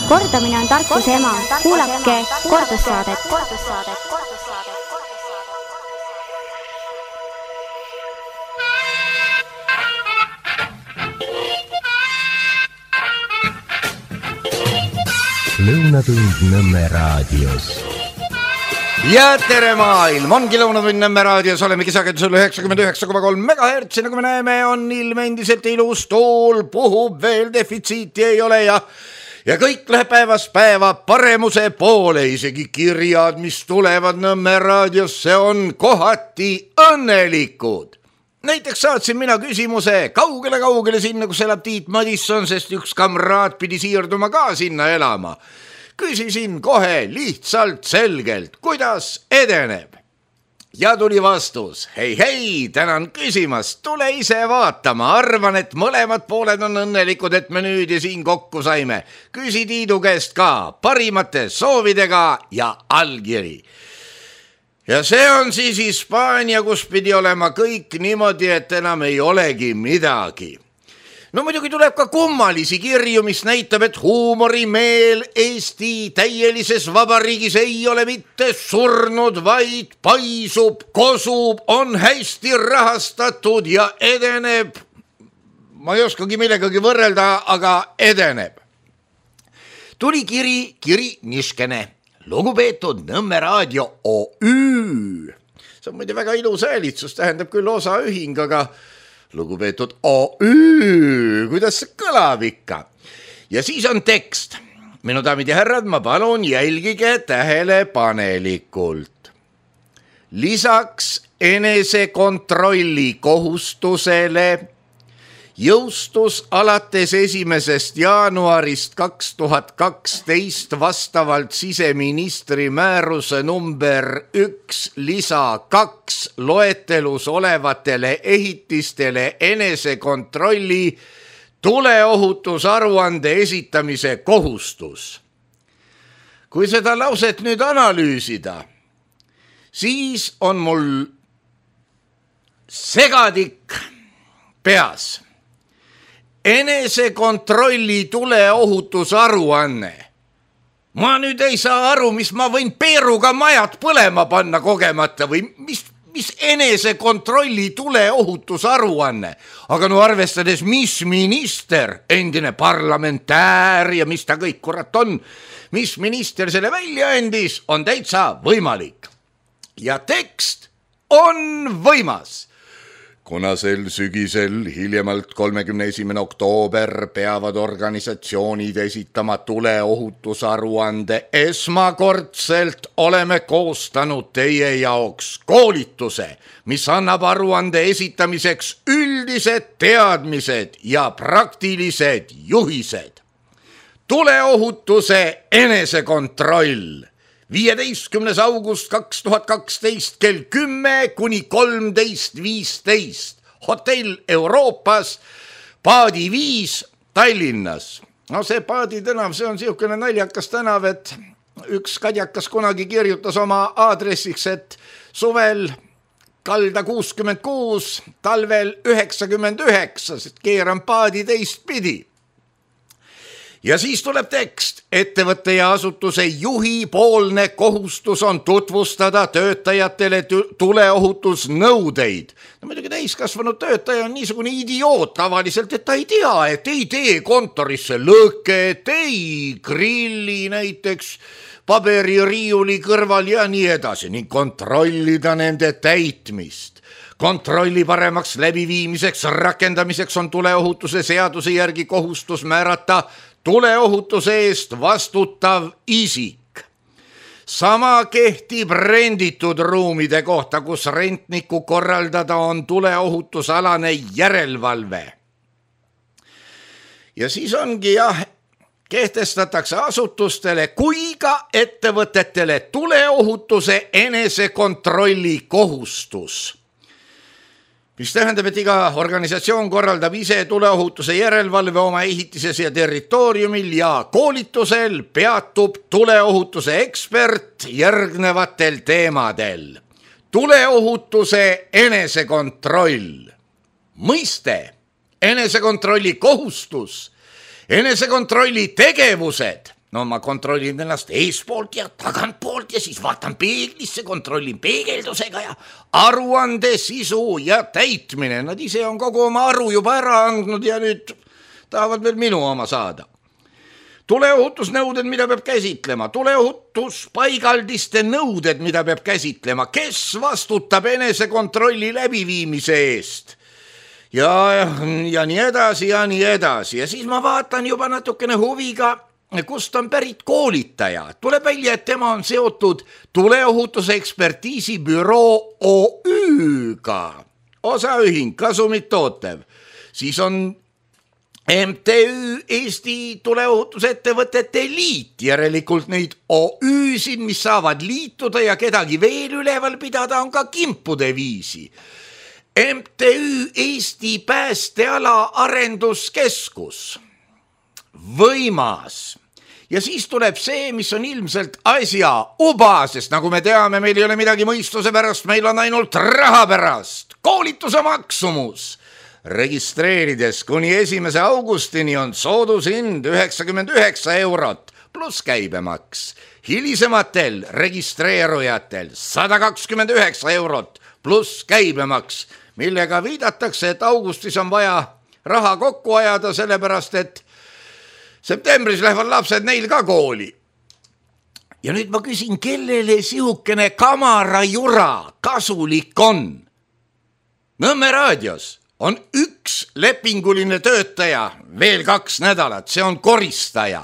Kordamine on tarkuse ema. Kuulake kordussaadet. Lõunatund Nõmme raadios. Ja tere maailm, ongi Lõunatund Nõmme raadios, olemegi sagedusel 99,3 MHz, nagu me näeme, on ilm endiselt ilus, tuul puhub, veel defitsiiti ei ole ja kõik läheb päevast päeva paremuse poole, isegi kirjad, mis tulevad Nõmme raadiosse, on kohati õnnelikud. Näiteks saatsin mina küsimuse kaugele sinna, kus elab Tiit Madisson, sest üks kamraad pidi siirduma ka sinna elama. Küsisin kohe lihtsalt selgelt, kuidas edeneb. Ja tuli vastus, hei, tänan küsimast, tule ise vaatama, arvan, et mõlemad pooled on õnnelikud, et me nüüd ja siin kokku saime. Küsi Tiidu käest ka, parimate soovidega ja allkiri. Ja see on siis Hispaania, kus pidi olema kõik niimoodi, et enam ei olegi midagi. No muidugi tuleb ka kummalisi kirju, mis näitab, et huumorimeel Eesti täielises vabariigis ei ole mitte surnud, vaid paisub, kosub, on hästi rahastatud ja edeneb. Ma ei oskagi millegagi võrrelda, aga edeneb. Tuli kiri niškene. Lugupeetud Nõmme raadio OÜ. See on muide väga ilus häälitsus, tähendab küll osaühing, aga lugupeetud OÜ, kuidas see kõlab ikka? Ja siis on tekst. Minu daamid ja härrad, ma palun jälgige tähelepanelikult. Lisaks enesekontrolli kohustusele jõustus alates 1. jaanuarist 2012 vastavalt siseministri määruse number 1 lisa 2 loetelus olevatele ehitistele enesekontrolli tuleohutusaruande esitamise kohustus. Kui seda lauset nüüd analüüsida, siis on mul segadik peas. Enesekontrolli tuleohutusaruanne. Ma nüüd ei saa aru, mis ma võin peeruga majad põlema panna kogemata või mis enesekontrolli tuleohutusaruanne. Aga no arvestades, mis minister, endine parlamentäär ja mis ta kõik kurat on, mis minister selle välja andis, on täitsa võimalik. Ja tekst on võimas. Kuna sel sügisel hiljemalt 31. oktoober peavad organisatsioonid esitama tuleohutusaruande, esmakordselt oleme koostanud teie jaoks koolituse, mis annab aruande esitamiseks üldised teadmised ja praktilised juhised. Tuleohutuse enesekontroll. 15. august 2012 kell 10 kuni 13.15. Hotell Euroopas, Paadi 5 Tallinnas. No see Paadi tänav, see on siukene naljakas tänav, et üks kadjakas kunagi kirjutas oma aadressiks, et suvel kalda 66, talvel 99, sest keeran Paadi teistpidi. Ja siis tuleb tekst. Ettevõtte ja asutuse juhi poolne kohustus on tutvustada töötajatele tuleohutusnõudeid. No muidugi täiskasvanud töötaja on niisugune idioot tavaliselt, et ta ei tea, et ei tee kontorisse lõket, ei grilli näiteks pabeririiuli kõrval ja nii edasi ning kontrollida nende täitmist. Kontrolli paremaks läbiviimiseks, rakendamiseks on tuleohutuse seaduse järgi kohustus määrata tuleohutuse eest vastutav isik. Sama kehtib renditud ruumide kohta, kus rentniku korraldada on tuleohutusalane järelevalve. Ja siis ongi kehtestatakse asutustele kui ka ettevõtetele tuleohutuse enesekontrolli kohustus. Mis tähendab, et iga organisatsioon korraldab ise tuleohutuse järelevalve oma ehitises ja territooriumil ja koolitusel peatub tuleohutuse ekspert järgnevatel teemadel. Tuleohutuse enesekontroll. Mõiste, enesekontrolli kohustus, enesekontrolli tegevused no ma kontrollin ennast eespoolt ja tagantpoolt ja siis vaatan peeglisse, kontrollin peegeldusega ja aruande sisu ja täitmine. Nad ise on kogu oma aru juba ära andnud ja nüüd tahavad veel minu oma saada. Tuleohutusnõuded, mida peab käsitlema, tuleohutuspaigaldiste nõuded, mida peab käsitlema, kes vastutab enesekontrolli läbiviimise eest ja nii edasi ja nii edasi. Ja siis ma vaatan juba natukene huviga, kust on pärit koolitaja. Tuleb välja, et tema on seotud tuleohutuse ekspertiisibüroo OÜ-ga, osaühing, kasumit tootev. Siis on MTÜ Eesti tuleohutusettevõtete liit, järelikult neid OÜ-sid, mis saavad liituda ja kedagi veel üleval pidada, on ka kimpude viisi. MTÜ Eesti päästeala arenduskeskus, võimas. Ja siis tuleb see, mis on ilmselt asja uba, sest nagu me teame, meil ei ole midagi mõistuse pärast, meil on ainult raha pärast. Koolituse maksumus. Registreerides kuni 1. augustini on soodushind 99 eurot pluss käibemaks. Hilisematel registreerujatel 129 eurot pluss käibemaks, millega viidatakse, et augustis on vaja raha kokku ajada, sellepärast et septembris lähevad lapsed neil ka kooli. Ja nüüd ma küsin, kellele sihukene kamarajura kasulik on? Nõmme raadios on üks lepinguline töötaja, veel 2 nädalat, see on koristaja.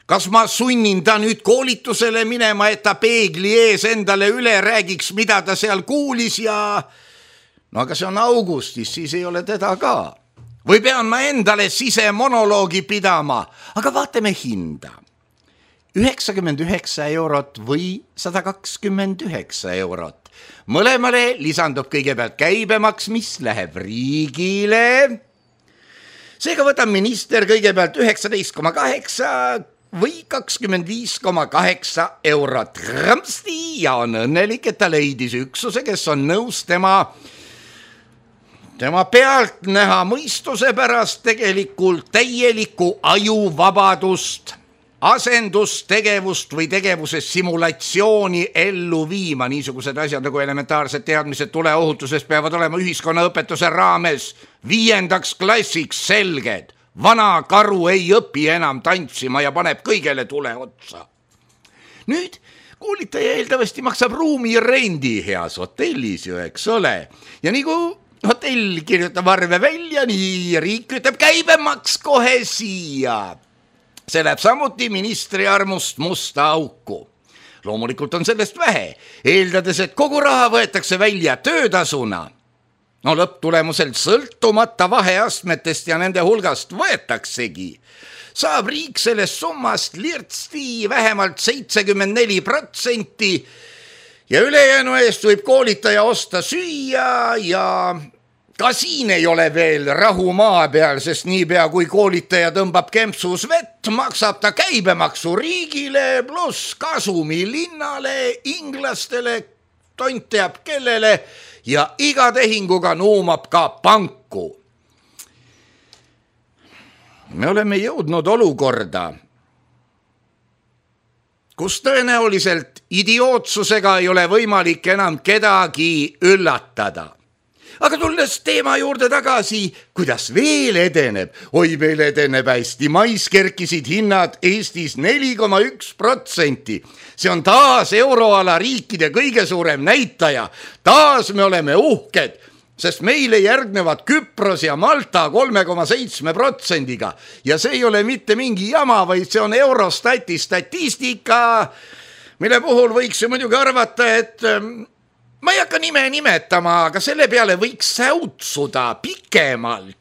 Kas ma sunnin ta nüüd koolitusele minema, et ta peegli ees endale üle räägiks, mida ta seal kuulis ja no aga see on augustis, siis ei ole teda ka. Või pean ma endale sisemonoloogi pidama, aga vaatame hinda. 99 eurot või 129 eurot. Mõlemale lisandub kõigepealt käibemaks, mis läheb riigile. Seega võtab minister kõigepealt 19,8 või 25,8 eurot rõmsti ja on õnnelik, et ta leidis üksuse, kes on nõus tema pealt näha mõistuse pärast tegelikult täielikku ajuvabadust, asendustegevust või tegevuse simulatsiooni ellu viima. Niisugused asjad nagu elementaarsed teadmised tuleohutuses peavad olema ühiskonnaõpetuse raames 5. klassiks selged. Vana karu ei õpi enam tantsima ja paneb kõigele tule otsa. Nüüd koolitaja eeldavasti maksab ruumi rendi heas hotellis ju, eks ole. Ja nii kui hotell kirjutab arve välja, nii riik ütleb käibemaks kohe siia. See läheb samuti ministri armust musta auku. Loomulikult on sellest vähe, eeldades, et kogu raha võetakse välja töötasuna. No lõpptulemuselt sõltumata vaheastmetest ja nende hulgast võetaksegi. Saab riik sellest summast lirtsti vähemalt 74% ja ülejäänu eest võib koolitaja osta süüa ja ka siin ei ole veel rahu maa peal, sest niipea kui koolitaja tõmbab kempsus vett, maksab ta käibemaksu riigile pluss kasumi linnale, inglastele, tont teab kellele ja iga tehinguga nuumab ka panku. Me oleme jõudnud olukorda, kus tõenäoliselt idiootsusega ei ole võimalik enam kedagi üllatada. Aga tulles teema juurde tagasi, kuidas veel edeneb? Oi, veel edeneb hästi. Mais kerkisid hinnad Eestis 4,1%. See on taas euroala riikide kõige suurem näitaja. Taas me oleme uhked, sest meile järgnevad Küpros ja Malta 3,7%-ga. Ja see ei ole mitte mingi jama, vaid see on Eurostati statistika, mille puhul võiks ju muidugi arvata, et ma ei hakka nime nimetama, aga selle peale võiks säutsuda pikemalt.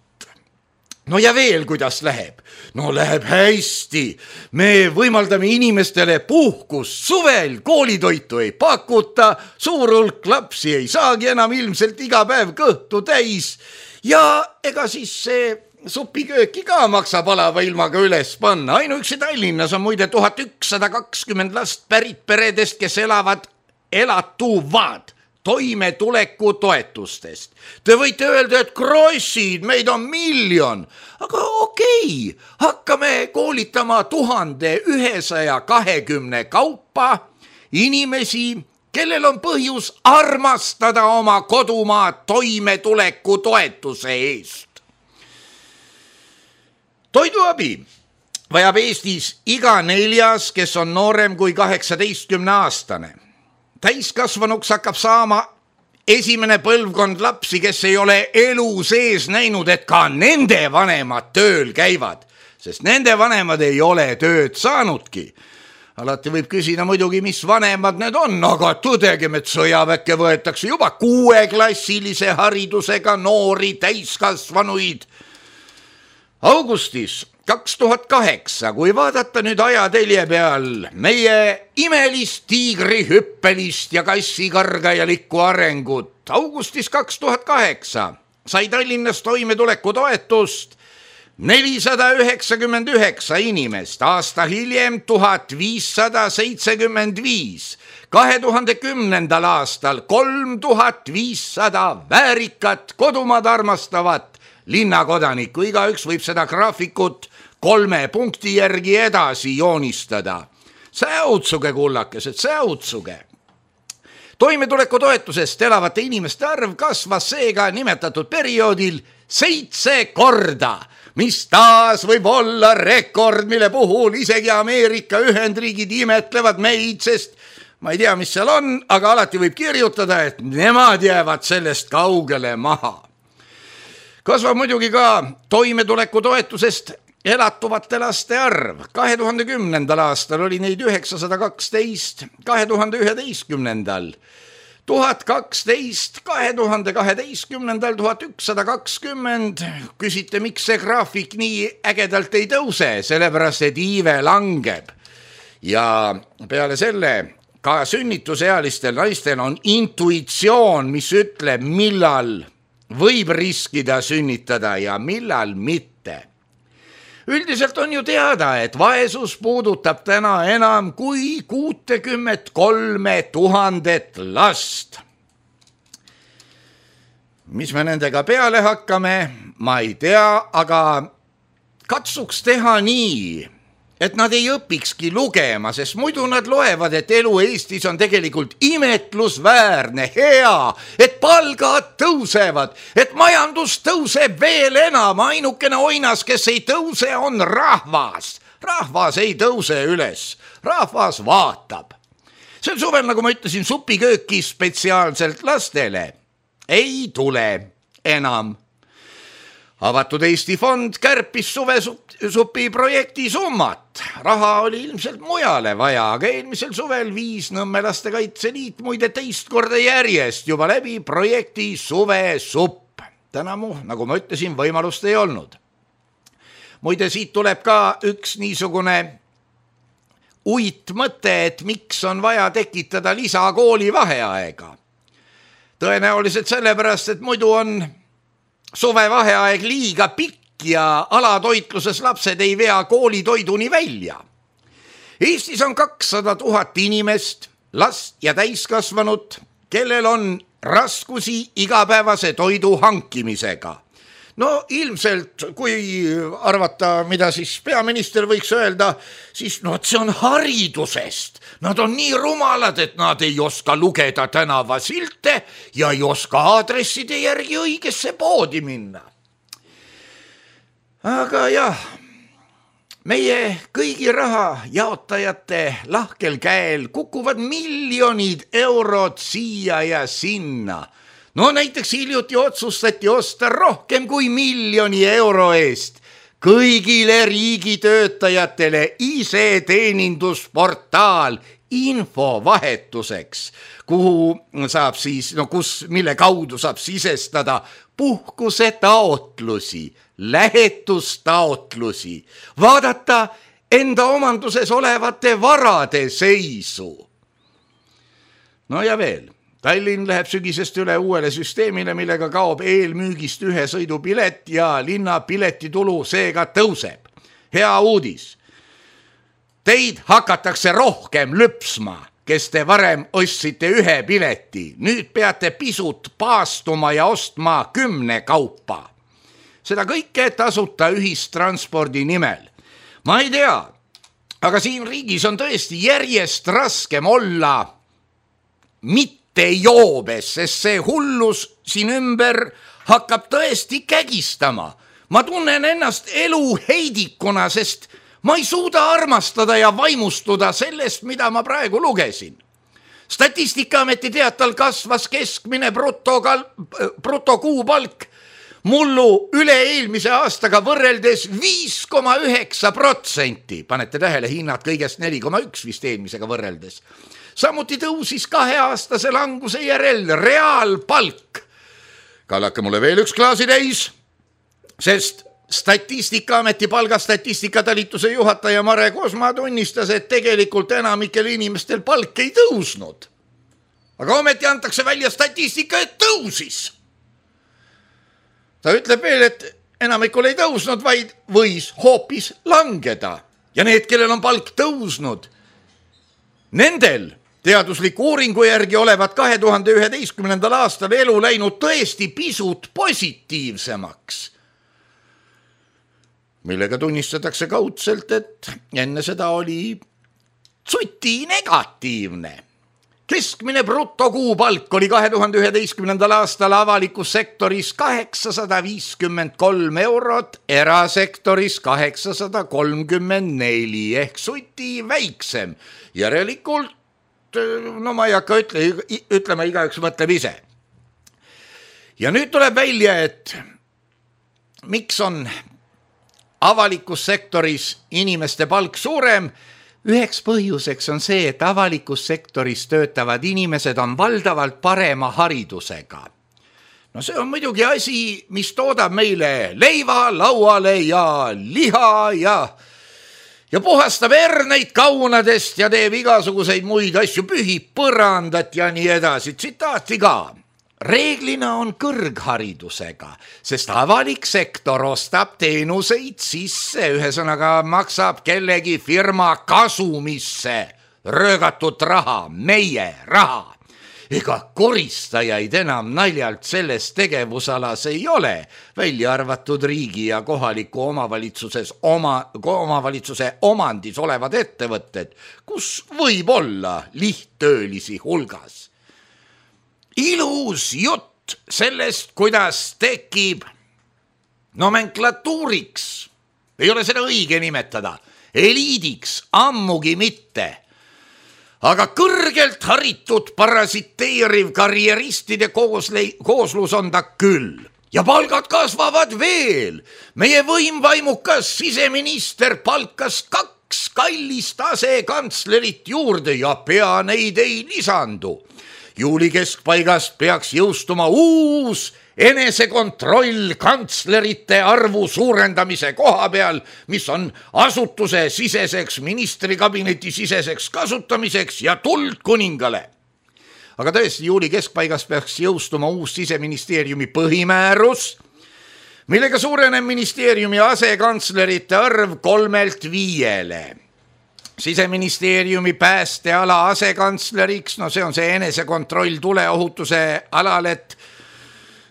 No ja veel, kuidas läheb? No läheb hästi. Me võimaldame inimestele puhkust suvel, koolitoitu ei pakuta, suur hulk lapsi ei saagi enam ilmselt iga päev kõhtu täis ja ega siis see supikööki ka maksab alava ilmaga üles panna. Ainuüksi Tallinnas on muide 1120 last pärit peredest, kes elatuvad toimetuleku toetustest. Te võite öelda, et krossid, meid on 1 miljon, aga okei, hakkame koolitama 1120 kaupa inimesi, kellel on põhjus armastada oma kodumaa toimetuleku toetuse eest. Toiduabi vajab Eestis iga 4., kes on noorem kui 18-aastane. Täiskasvanuks hakkab saama esimene põlvkond lapsi, kes ei ole elu sees näinud, et ka nende vanemad tööl käivad, sest nende vanemad ei ole tööd saanudki. Alati võib küsida muidugi, mis vanemad need on, aga tõdegem, et sõjaväkke võetakse juba 6-klassilise haridusega noori täiskasvanuid. Augustis 2008, kui vaadata nüüd ajatelje peal meie imelist tiigrihüppelist ja kassikargajalikku arengut, augustis 2008 sai Tallinnas toimetuleku toetust 499 inimest, aasta hiljem 1575, 2010. aastal 3500 väärikat kodumaad armastavat linnakodanikku. Igaüks võib seda graafikut 3 punkti järgi edasi joonistada. Säutsuge, kullakesed, säutsuge. Toimetuleku toetusest elavate inimeste arv kasvas seega nimetatud perioodil 7 korda, mis taas võib olla rekord, mille puhul isegi Ameerika Ühendriigid imetlevad meid, sest ma ei tea, mis seal on, aga alati võib kirjutada, et nemad jäävad sellest kaugele maha. Kasvab muidugi ka toimetuleku toetusest elatuvate laste arv. 2010. aastal oli neid 912, 2011. 1012, 2012. 1120. Küsite, miks see graafik nii ägedalt ei tõuse, sellepärast et iive langeb. Ja peale selle ka sünnitusealistel naistel on intuitsioon, mis ütleb, millal võib riskida sünnitada ja millal mitte. Üldiselt on ju teada, et vaesus puudutab täna enam kui 63 000 last. Mis me nendega peale hakkame, ma ei tea, aga katsuks teha nii, et nad ei õpikski lugema, sest muidu nad loevad, et elu Eestis on tegelikult imetlusväärne, hea, et palgad tõusevad, et majandus tõuseb veel enam. Ainukene oinas, kes ei tõuse, on rahvas. Rahvas ei tõuse üles, rahvas vaatab. Sel suvel, nagu ma ütlesin, supikööki spetsiaalselt lastele ei tule enam. Avatud Eesti fond kärpis suvesupi projekti summat. Raha oli ilmselt mujale vaja, aga eelmisel suvel viis Nõmme Lastekaitseliit muide 2 korda järjest juba läbi projekti suvesupp. Tänamu, nagu ma ütlesin, võimalust ei olnud. Muide, siit tuleb ka üks niisugune uitmõte, et miks on vaja tekitada lisakooli vaheaega. Tõenäoliselt sellepärast, et muidu on suvevaheaeg liiga pikk ja alatoitluses lapsed ei vea koolitoiduni välja. Eestis on 200 000 inimest, last ja täiskasvanut, kellel on raskusi igapäevase toidu hankimisega. No ilmselt, kui arvata, mida siis peaminister võiks öelda, siis see on haridusest. Nad on nii rumalad, et nad ei oska lugeda tänavasilte ja ei oska aadresside järgi õigesse poodi minna. Aga jah, meie kõigi raha jaotajate lahkel käel kukuvad miljonid eurod siia ja sinna. No näiteks hiljuti otsustati osta rohkem kui 1 miljoni euro eest kõigile riigitöötajatele ise-teenindusportaal infovahetuseks, kuhu saab siis, mille kaudu saab sisestada puhkusetaotlusi, lähetustaotlusi, vaadata enda omanduses olevate varade seisu. No ja veel. Tallinn läheb sügisest üle uuele süsteemile, millega kaob eelmüügist 1 sõidupilet ja linna piletitulu seega tõuseb. Hea uudis. Teid hakatakse rohkem lüpsma. kes te varem ostsite 1 pileti, nüüd peate pisut paastuma ja ostma 10 kaupa. Seda kõike tasuta ühistranspordi nimel. Ma ei tea, aga siin riigis on tõesti järjest raskem olla mitte joobes, sest see hullus siin ümber hakkab tõesti kägistama. Ma tunnen ennast elu heidikuna, sest ma ei suuda armastada ja vaimustuda sellest, mida ma praegu lugesin. Statistikaameti teatal kasvas keskmine brutokuupalk mullu üle-eelmise aastaga võrreldes 5,9%. Panete tähele, hinnad kõigest 4,1 vist eelmisega võrreldes. Samuti tõusis 2-aastase languse järel reaalpalk. Kallake mulle veel üks klaasi täis, sest Statistikaameti palgastatistikatalituse juhataja Mare Kosma tunnistas, et tegelikult enamikel inimestel palk ei tõusnud. Aga ometi antakse välja statistika, et tõusis. Ta ütleb veel, et enamikul ei tõusnud, vaid võis hoopis langeda. Ja need, kellel on palk tõusnud, nendel teadusliku uuringu järgi olevat 2011. aastal elu läinud tõesti pisut positiivsemaks, millega tunnistatakse kaudselt, et enne seda oli tsuti negatiivne. Keskmine brutokuupalk oli 2011. aastal avalikus sektoris 853 eurot, erasektoris 834 ehk tsuti väiksem. Järelikult, no ma ei hakka ütlema, igaüks mõtleb ise. Ja nüüd tuleb välja, et miks on avalikus sektoris inimeste palk suurem. Üheks põhjuseks on see, et avalikus sektoris töötavad inimesed on valdavalt parema haridusega. No see on muidugi asi, mis toodab meile leiva lauale ja liha ja puhastab herneid kaunadest ja teeb igasuguseid muid asju, pühib põrandat ja nii edasi. Tsitaati ka. Reeglina on kõrgharidusega, sest avalik sektor ostab teenuseid sisse, ühesõnaga maksab kellegi firma kasumisse röögatud raha, meie raha. Ega koristajaid enam naljalt selles tegevusalas ei ole, välja arvatud riigi ja kohaliku omavalitsuse omandis olevad ettevõtted, kus võib olla lihttöölisi hulgas. Ilus jutt sellest, kuidas tekib nomenklatuuriks, ei ole seda õige nimetada, eliidiks ammugi mitte, aga kõrgelt haritud parasiteeriv karjeristide kooslus on ta küll. Ja palgad kasvavad veel. Meie võimvaimukas siseminister palkas 2 kallist asekantslerit juurde ja pea neid ei lisandu. Juuli keskpaigast peaks jõustuma uus enesekontroll kantslerite arvu suurendamise koha peal, mis on asutuse siseseks, ministrikabineti siseseks kasutamiseks ja tuld kuningale. Aga tõesti, juuli keskpaigast peaks jõustuma uus siseministeeriumi põhimäärus, millega suureneb ministeeriumi asekantslerite arv 3-lt 5-le. Siseministeeriumi päästeala asekantsleriks, no see on see enesekontroll tuleohutuse alal, et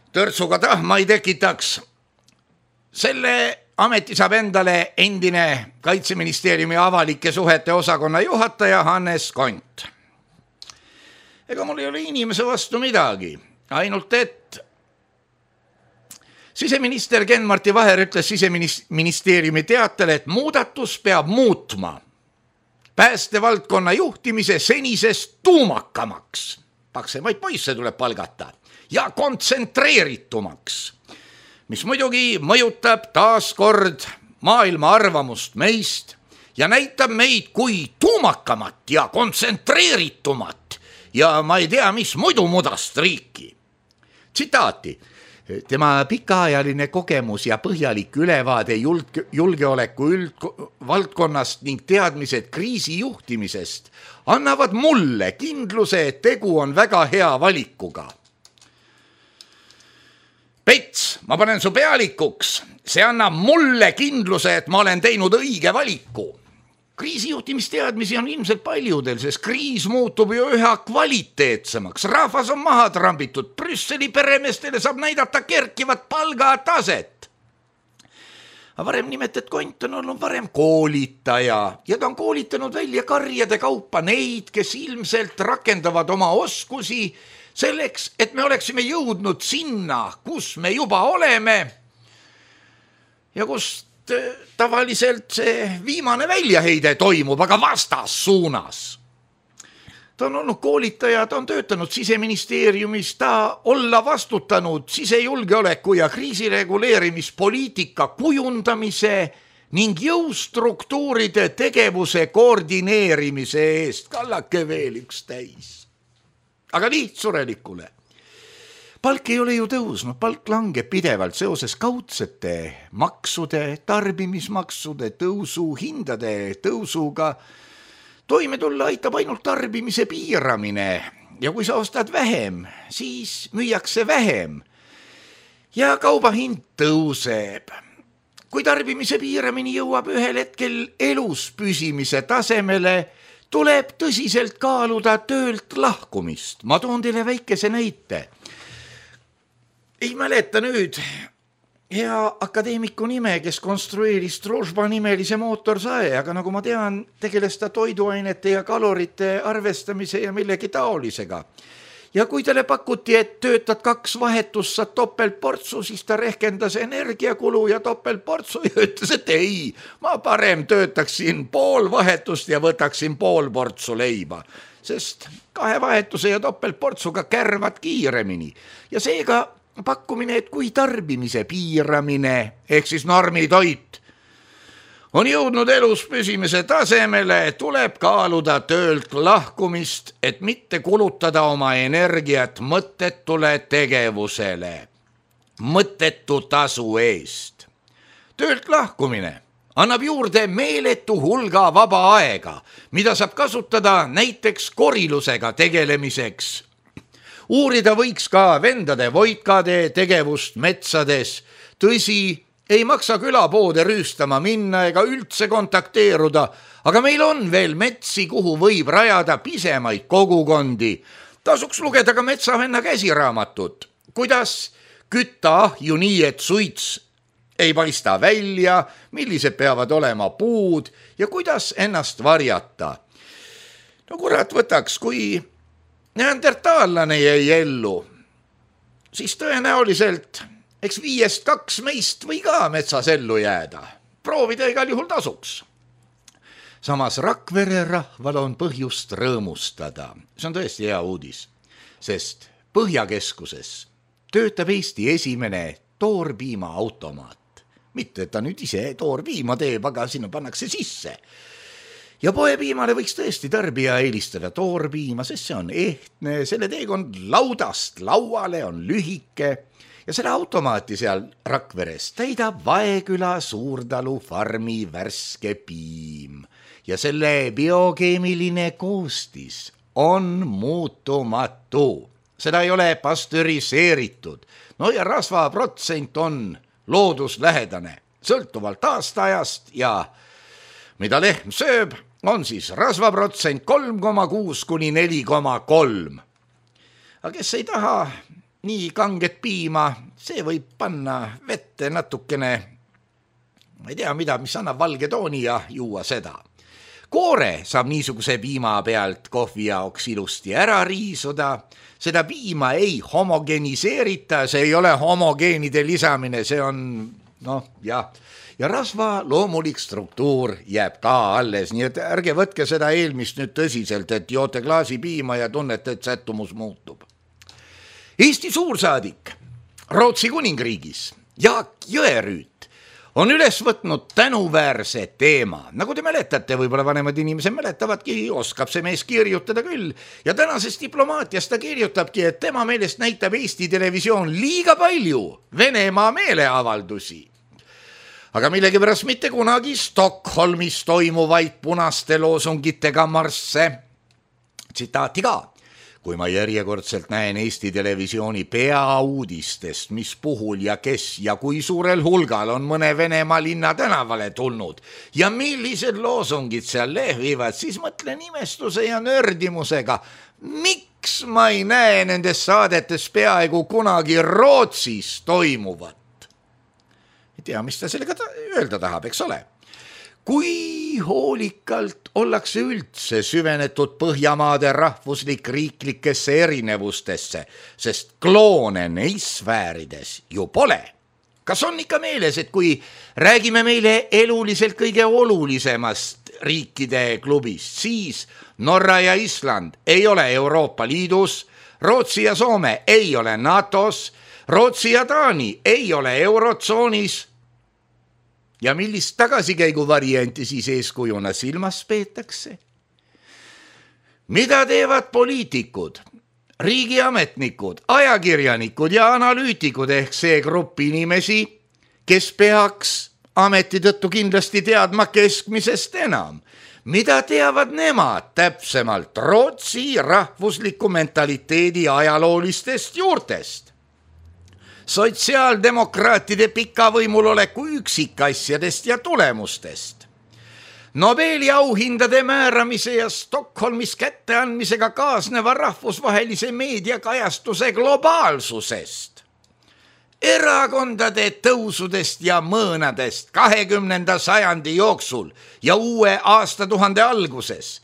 törtsuga tahma ei tekitaks. Selle ameti saab endale endine Kaitseministeeriumi avalike suhete osakonna juhataja Hannes Kont. Ega mul ei ole inimese vastu midagi, ainult et siseminister Ken-Marti Vaher ütles Siseministeeriumi teatele, et muudatus peab muutma päästevaldkonna juhtimise senisest tuumakamaks, paksemaid poisse tuleb palgata, ja kontsentreeritumaks, mis muidugi mõjutab taaskord maailma arvamust meist ja näitab meid kui tuumakamat ja kontsentreeritumat ja ma ei tea, mis muidu mudast riiki. Tsitaati. Tema pikaajaline kogemus ja põhjalik ülevaade julgeoleku valdkonnast ning teadmised kriisi juhtimisest annavad mulle kindluse, et tegu on väga hea valikuga. Pets, ma panen su pealikuks, see annab mulle kindluse, et ma olen teinud õige valiku. kriisijuhtimisteadmisi on ilmselt paljudel, sest kriis muutub ju üha kvaliteetsemaks. Rahvas on maha trambitud, Brüsseli peremeestele saab näidata kerkivat palgataset. Aga varem nimetet Kont on olnud varem koolitaja ja ta on koolitanud välja karjade kaupa neid, kes ilmselt rakendavad oma oskusi selleks, et me oleksime jõudnud sinna, kus me juba oleme ja kust tavaliselt see viimane väljaheide toimub, aga vastassuunas. Ta on olnud koolitaja, ta on töötanud Siseministeeriumis, ta olla vastutanud sisejulgeoleku ja kriisireguleerimispoliitika kujundamise ning jõustruktuuride tegevuse koordineerimise eest. Kallake veel üks täis. Aga lihtsurelikule. Palk ei ole ju tõusnud, palk langeb pidevalt seoses kaudsete maksude, tarbimismaksude tõusu, hindade tõusuga. Toime tulla aitab ainult tarbimise piiramine ja kui sa ostad vähem, siis müüakse vähem ja kauba hind tõuseb. Kui tarbimise piiramine jõuab ühel hetkel elus püsimise tasemele, tuleb tõsiselt kaaluda töölt lahkumist. Ma toon teile väikese näite. Ei mäleta nüüd hea akadeemiku nime, kes konstrueeris Družba nimelise mootorsae, aga nagu ma tean, tegeles ta toiduainete ja kalorite arvestamise ja millegi taolisega. Ja kui talle pakuti, et töötad 2 vahetust, saad topeltportsu, siis ta rehkendas energiakulu ja topeltportsu ja ütles, et ei, ma parem töötaksin 5 vahetust ja võtaksin 5 portsu leiba, sest 2 vahetuse ja topeltportsuga kärvad kiiremini ja seega pakkumine, et kui tarbimise piiramine ehk siis normitoit on jõudnud elus püsimise tasemele, tuleb kaaluda töölt lahkumist, et mitte kulutada oma energiat mõttetule tegevusele, mõttetu tasu eest. Töölt lahkumine annab juurde meeletu hulga vaba aega, mida saab kasutada näiteks korilusega tegelemiseks. Uurida võiks ka vendade Voitkade tegevust metsades. Tõsi, ei maksa külapoode rüüstama minna ega üldse kontakteeruda, aga meil on veel metsi, kuhu võib rajada pisemaid kogukondi. Tasuks lugeda ka metsavenna käsiraamatut, kuidas kütta ahju nii, et suits ei paista välja, millised peavad olema puud ja kuidas ennast varjata. No kurat võtaks, kui neandertaallane jäi ellu, siis tõenäoliselt eks 5 2 meist või ka metsas ellu jääda. Proovida igal juhul tasuks. Samas Rakvere rahval on põhjust rõõmustada. See on tõesti hea uudis, sest Põhjakeskuses töötab Eesti esimene toorpiima automaat. Mitte, et ta nüüd ise toorpiima teeb, aga sinna pannakse sisse. Ja poepiimale võiks tõesti tarbija eelistada toorpiima, sest see on ehtne, selle teekond laudast lauale on lühike ja selle automaati seal Rakveres täidab Vaeküla Suurtalu farmi värske piim ja selle biokeemiline koostis on muutumatu. Seda ei ole pastöriseeritud. No ja rasvaprotsent on looduslähedane, sõltuvalt aastaajast ja mida lehm sööb, on siis rasvaprotsent 3,6 kuni 4,3. Aga kes ei taha nii kanget piima, see võib panna vette natukene, ma ei tea mida, mis annab valge tooni ja juua seda. Koore saab niisuguse piima pealt kohvi jaoks ilusti ära riisuda. Seda piima ei homogeniseerita, see ei ole homogeenide lisamine, see on, ja rasva loomulik struktuur jääb ka alles, nii et ärge võtke seda eelmist nüüd tõsiselt, et joote klaasi piima ja tunnete, et sättumus muutub. Eesti suursaadik Rootsi kuningriigis Jaak Jõerüüt on üles võtnud tänuväärse teema. Nagu te mäletate, võib-olla vanemad inimesed mäletavadki, oskab see mees kirjutada küll. Ja tänases diplomaatias ta kirjutabki, et tema meelest näitab Eesti televisioon liiga palju Venemaa meeleavaldusi. Aga millegipärast mitte kunagi Stockholmis toimuvaid punaste loosungitega marsse. Tsitaati ka. kui ma järjekordselt näen Eesti Televisiooni peauudistest, mis puhul ja kes ja kui suurel hulgal on mõne Venemaa linna tänavale tulnud ja millised loosungid seal lehvivad, siis mõtlen imestuse ja nördimusega, miks ma ei näe nendes saadetes peaaegu kunagi Rootsis toimuvat. Ei tea, mis ta sellega öelda tahab, eks ole. Kui hoolikalt ollakse üldse süvenetud Põhjamaade rahvuslik-riiklikesse erinevustesse, sest kloone neis sfäärides ju pole. Kas on ikka meeles, et kui räägime meile eluliselt kõige olulisemast riikide klubist, siis Norra ja Island ei ole Euroopa Liidus, Rootsi ja Soome ei ole NATOs, Rootsi ja Taani ei ole Eurotsoonis. Ja millist tagasikäigu varianti siis eeskujuna silmas peetakse? Mida teevad poliitikud, riigiametnikud, ajakirjanikud ja analüütikud ehk see grupp inimesi, kes peaks ameti tõttu kindlasti teadma keskmisest enam? Mida teavad nemad täpsemalt Rootsi rahvusliku mentaliteedi ajaloolistest juurtest? Sotsiaaldemokraatide pika võimuloleku üksikasjadest ja tulemustest, Nobeli auhindade määramise ja Stockholmis kätteandmisega kaasneva rahvusvahelise meediakajastuse globaalsusest, erakondade tõusudest ja mõõnadest 20. sajandi jooksul ja uue aastatuhande alguses,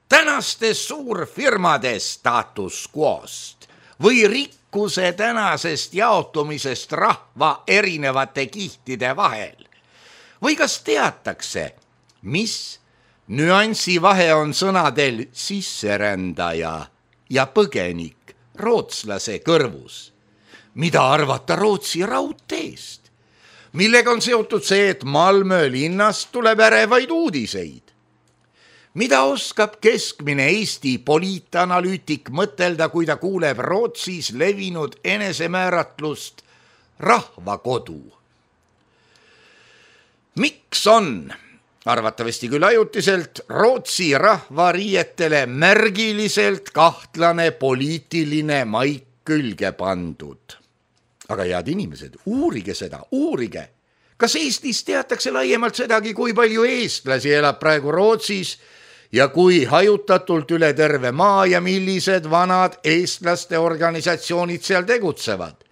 tänaste suurfirmade status quo'st või rikkuse tänasest jaotumisest rahva erinevate kihtide vahel. Või kas teatakse, mis nüansi vahe on sõnadel sisserändaja ja põgenik rootslase kõrvus? Mida arvata Rootsi raudteest? Millega on seotud see, et Malmö linnast tuleb ärevaid uudiseid? Mida oskab keskmine Eesti poliitanalüütik mõtelda, kui ta kuuleb Rootsis levinud enesemääratlust rahvakodu? Miks on, arvatavasti küll ajutiselt, Rootsi rahvariietele märgiliselt kahtlane poliitiline maik külge pandud? Aga head inimesed, uurige seda, uurige. Kas Eestis teatakse laiemalt sedagi, kui palju eestlasi elab praegu Rootsis ja kui hajutatult üle terve maa ja millised vanad eestlaste organisatsioonid seal tegutsevad?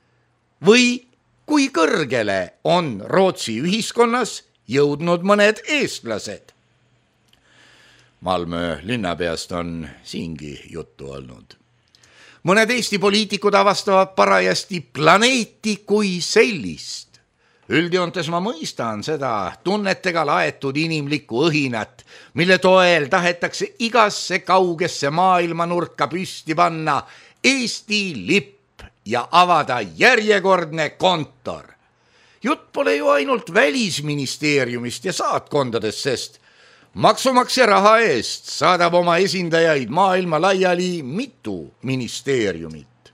Või kui kõrgele on Rootsi ühiskonnas jõudnud mõned eestlased? Malmö linnapeast on siingi juttu olnud. Mõned Eesti poliitikud avastavad parajasti planeeti kui sellist. Üldjoontes ma mõistan seda tunnetega laetud inimlikku õhinat, mille toel tahetakse igasse kaugesse maailmanurka püsti panna Eesti lipp ja avada järjekordne kontor. Jutt pole ju ainult välisministeeriumist ja saatkondadest, sest maksumaksja raha eest saadab oma esindajaid maailma laiali mitu ministeeriumit.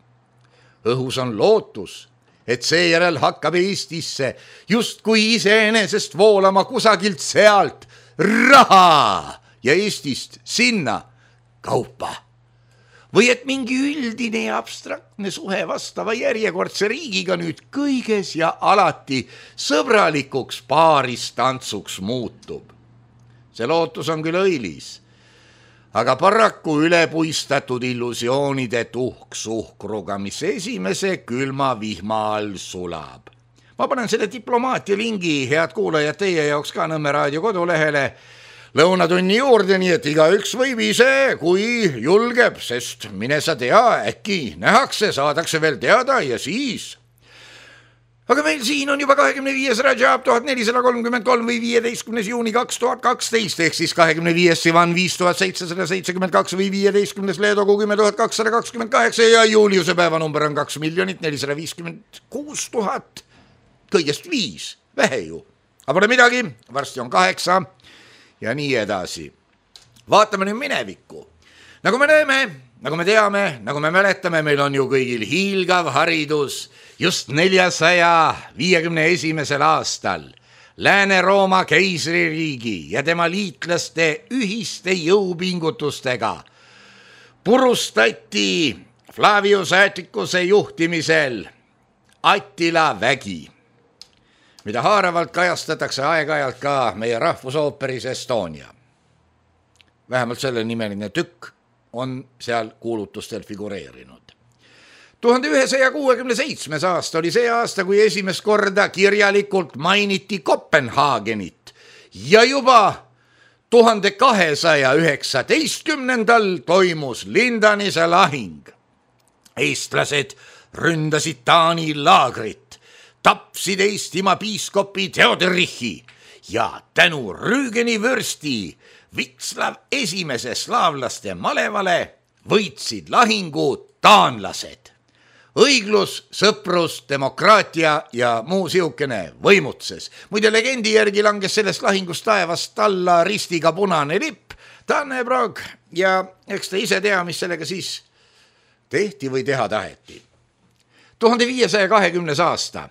Õhus on lootus, et seejärel hakkab Eestisse justkui iseenesest voolama kusagilt sealt raha ja Eestist sinna kaupa. Või et mingi üldine ja abstraktne suhe vastava järjekordse riigiga nüüd kõiges ja alati sõbralikuks paaristantsuks muutub. See lootus on küll õilis, aga paraku ülepuistatud illusioonide tuhk-suhkruga, mis esimese külma vihma all sulab. Ma panen selle diplomaatia lingi, head kuulajad, teie jaoks ka Nõmme raadio kodulehele lõunatunni juurde, nii et igaüks võib ise, kui julgeb, sest mine sa tea, äkki nähakse, saadakse veel teada ja siis. Aga meil siin on juba 25. Rajab 1433 või 15. juuni 2012 ehk siis 25. Sivan 5772 või 15. Leedogu 10228 ja Juliuse päevanumber on 2 456 000, kõigest 5, vähe ju. Aga pole midagi, varsti on 8 ja nii edasi. Vaatame nüüd minevikku. Nagu me näeme, nagu me teame, nagu me mäletame, meil on ju kõigil hiilgav haridus. Just 451. aastal Lääne-Rooma keisririigi ja tema liitlaste ühiste jõupingutustega purustati Flavius Atticuse juhtimisel Attila vägi, mida haaravalt kajastatakse aeg-ajalt ka meie rahvusooperis Estonia. Vähemalt selle nimeline tükk on seal kuulutustel figureerinud. 1167. aasta oli see aasta, kui esimest korda kirjalikult mainiti Kopenhaagenit ja juba 1219. toimus Lindanise lahing. Eestlased ründasid Taani laagrit, tapsid Eestimaa piiskopi Theoderichi ja tänu Rügeni vürsti Vitslav esimese slaavlaste malevale võitsid lahingu taanlased. Õiglus, sõprus, demokraatia ja muu siukene võimutses. Muide legendi järgi langes sellest lahingust taevast alla ristiga punane lipp, Dannebrog, ja eks ta ise tea, mis sellega siis tehti või teha taheti. 1520. aasta.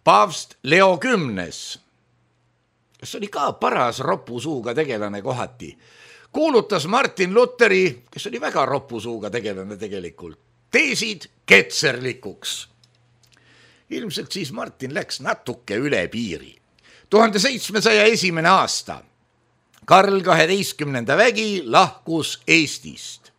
Paavst Leo X, kes oli ka paras ropusuuga tegelane kohati, kuulutas Martin Lutheri, kes oli väga ropusuuga tegelane tegelikult, teesid ketserlikuks. Ilmselt siis Martin läks natuke üle piiri. 1701. aasta. Karl 12. vägi lahkus Eestist.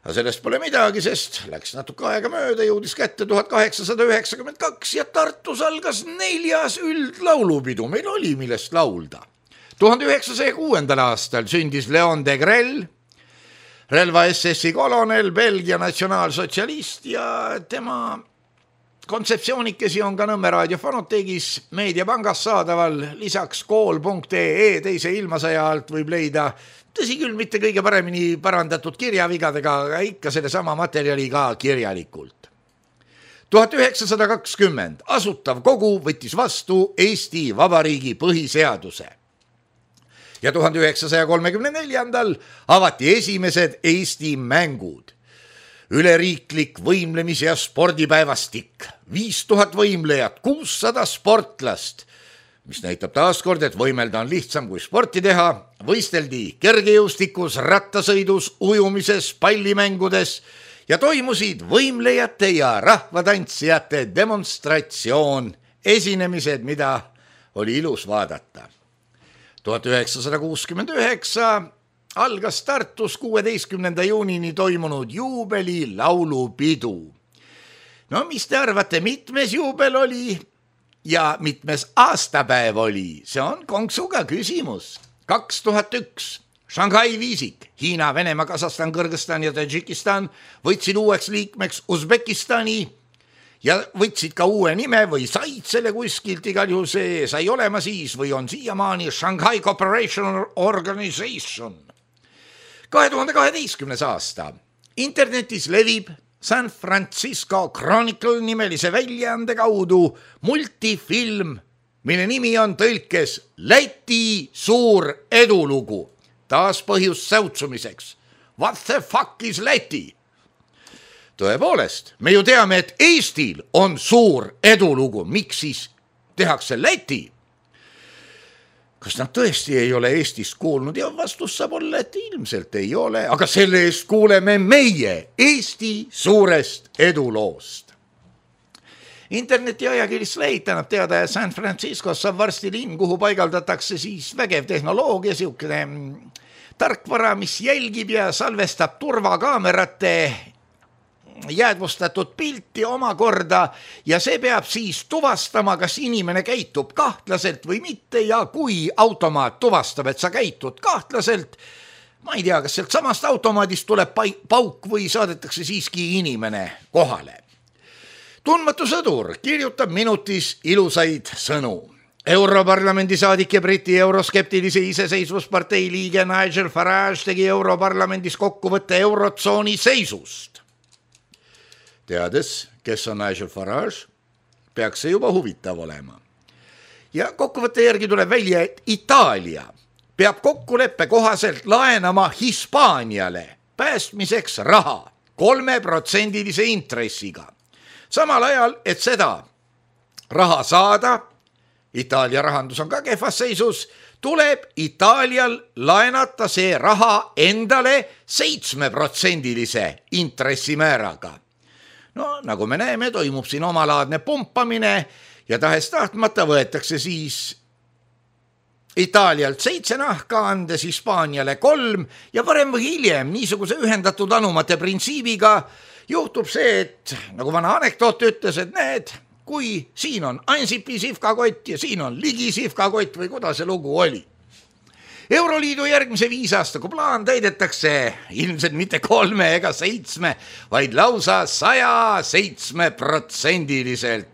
Aga sellest pole midagi, sest läks natuke aega mööda, jõudis kätte 1892 ja Tartus algas 4. üldlaulupidu. Meil oli millest laulda. 1906. aastal sündis Leon de Grell, relva SS-i kolonel, Belgia natsionaalsotsialist ja tema kontseptsioonikesi on ka Nõmme raadio fonoteegis meediapangas saadaval. Lisaks kool.ee teise ilmasõja alt võib leida, tõsi küll, mitte kõige paremini parandatud kirjavigadega, aga ikka selle sama materjali ka kirjalikult. 1920 asutav kogu võttis vastu Eesti Vabariigi põhiseaduse ja 1934 avati esimesed Eesti mängud. Üleriiklik võimlemis- ja spordipäevastik, 5000 võimlejat, 600 sportlast, mis näitab taaskord, et võimelda on lihtsam kui sporti teha. Võisteldi kergejõustikus, rattasõidus, ujumises, pallimängudes ja toimusid võimlejate ja rahvatantsijate demonstratsioon, esinemised, mida oli ilus vaadata. 1969 algas Tartus 16. juunini toimunud juubeli laulupidu. No mis te arvate, mitmes juubel oli ja mitmes aastapäev oli? See on konksuga küsimus. 2001 Shanghai viisik, Hiina, Venemaa, Kasahstan, Kõrgõzstan ja Tadžikistan võtsid uueks liikmeks Usbekistani ja võtsid ka uue nime või said selle kuskilt, igal juhul see sai olema siis või on siiamaani Shanghai Cooperation Organization. 2012. aasta. Internetis levib San Francisco Chronicle nimelise väljaande kaudu multifilm, mille nimi on tõlkes Läti suur edulugu. Taas põhjus säutsumiseks. What the fuck is Läti? Tõepoolest, me ju teame, et Eestil on suur edulugu. Miks siis tehakse Läti? Kas nad tõesti ei ole Eestist kuulnud? Ja vastus saab olla, et ilmselt ei ole, aga selle eest kuuleme meie Eesti suurest eduloost. Interneti ajakiri Slate annab teada, et San Franciscos saab varsti linn, kuhu paigaldatakse siis vägev tehnoloogia, siukene tarkvara, mis jälgib ja salvestab turvakaamerate jäädvustatud pilti omakorda ja see peab siis tuvastama, kas inimene käitub kahtlaselt või mitte ja kui automaat tuvastab, et sa käitud kahtlaselt, ma ei tea, kas sealt samast automaadist tuleb pauk või saadetakse siiski inimene kohale. Tundmatu sõdur kirjutab minutis ilusaid sõnu. Europarlamendi saadik ja Briti euroskeptilise iseseisvuspartei liige Nigel Farage tegi Europarlamendis kokkuvõtte eurotsooni seisust. Teades, kes on Nigel Farage, peaks see juba huvitav olema. Ja kokkuvõtte järgi tuleb välja, et Itaalia peab kokkuleppe kohaselt laenama Hispaaniale päästmiseks raha 3% intressiga. Samal ajal, et seda raha saada, Itaalia rahandus on ka kehvas seisus, tuleb Itaalial laenata see raha endale 7% intressimääraga. No nagu me näeme, toimub siin omalaadne pumpamine ja tahes tahtmata võetakse siis Itaalialt 7 nahka, andes Hispaaniale 3 ja varem või hiljem niisuguse ühendatud anumate printsiibiga juhtub see, et nagu vana anekdoot ütles, et näed, kui siin on Ansipi sihvkakott ja siin on Ligi sihvkakott või kuidas see lugu oli. Euroliidu järgmise 5 aastaku plaan täidetakse ilmselt mitte 3 ega 7, vaid lausa 107%,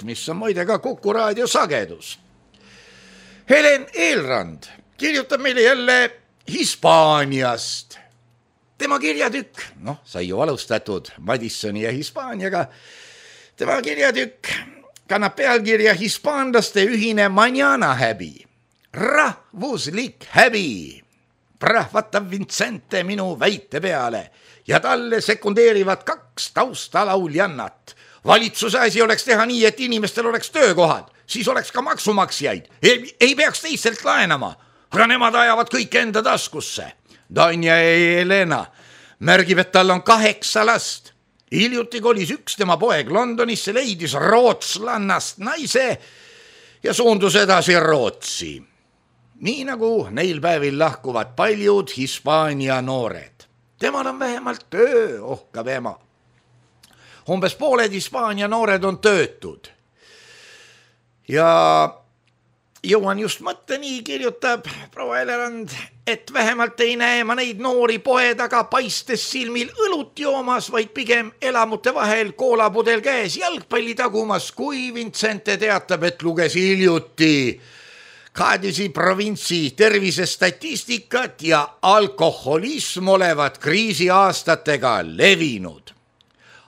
mis on muide ka Kuku raadio sagedus. Helen Eelrand kirjutab meile jälle Hispaaniast. Tema kirjatükk, sai ju alustatud Madissoni ja Hispaaniaga, tema kirjatükk kannab pealkirja Hispaanlaste ühine manjana häbi. Rahvuslik häbi, prahvatab Vincente minu väite peale ja talle sekundeerivad 2 taustalauljannat. Valitsuse asi oleks teha nii, et inimestel oleks töökohad, siis oleks ka maksumaksjaid, ei peaks teistelt laenama, aga nemad ajavad kõik enda taskusse. Danja Elena märgib, et tal on 8 last. Hiljuti kolis üks tema poeg Londonisse, leidis rootslannast naise ja suundus edasi Rootsi. Nii nagu neil päevil lahkuvad paljud Hispaania noored. Temal on vähemalt töö, ohkab ema. Umbes pooled Hispaania noored on töötud. Ja jõuan just mõtteni, kirjutab proua Elerand, et vähemalt ei näe ma neid noori poe taga paistes silmil õlut joomas, vaid pigem elamute vahel koolapudel käes jalgpalli tagumas, kui Vincente teatab, et luges hiljuti Kadisi provintsi tervisestatistikat ja alkoholism olevat kriisiaastatega levinud.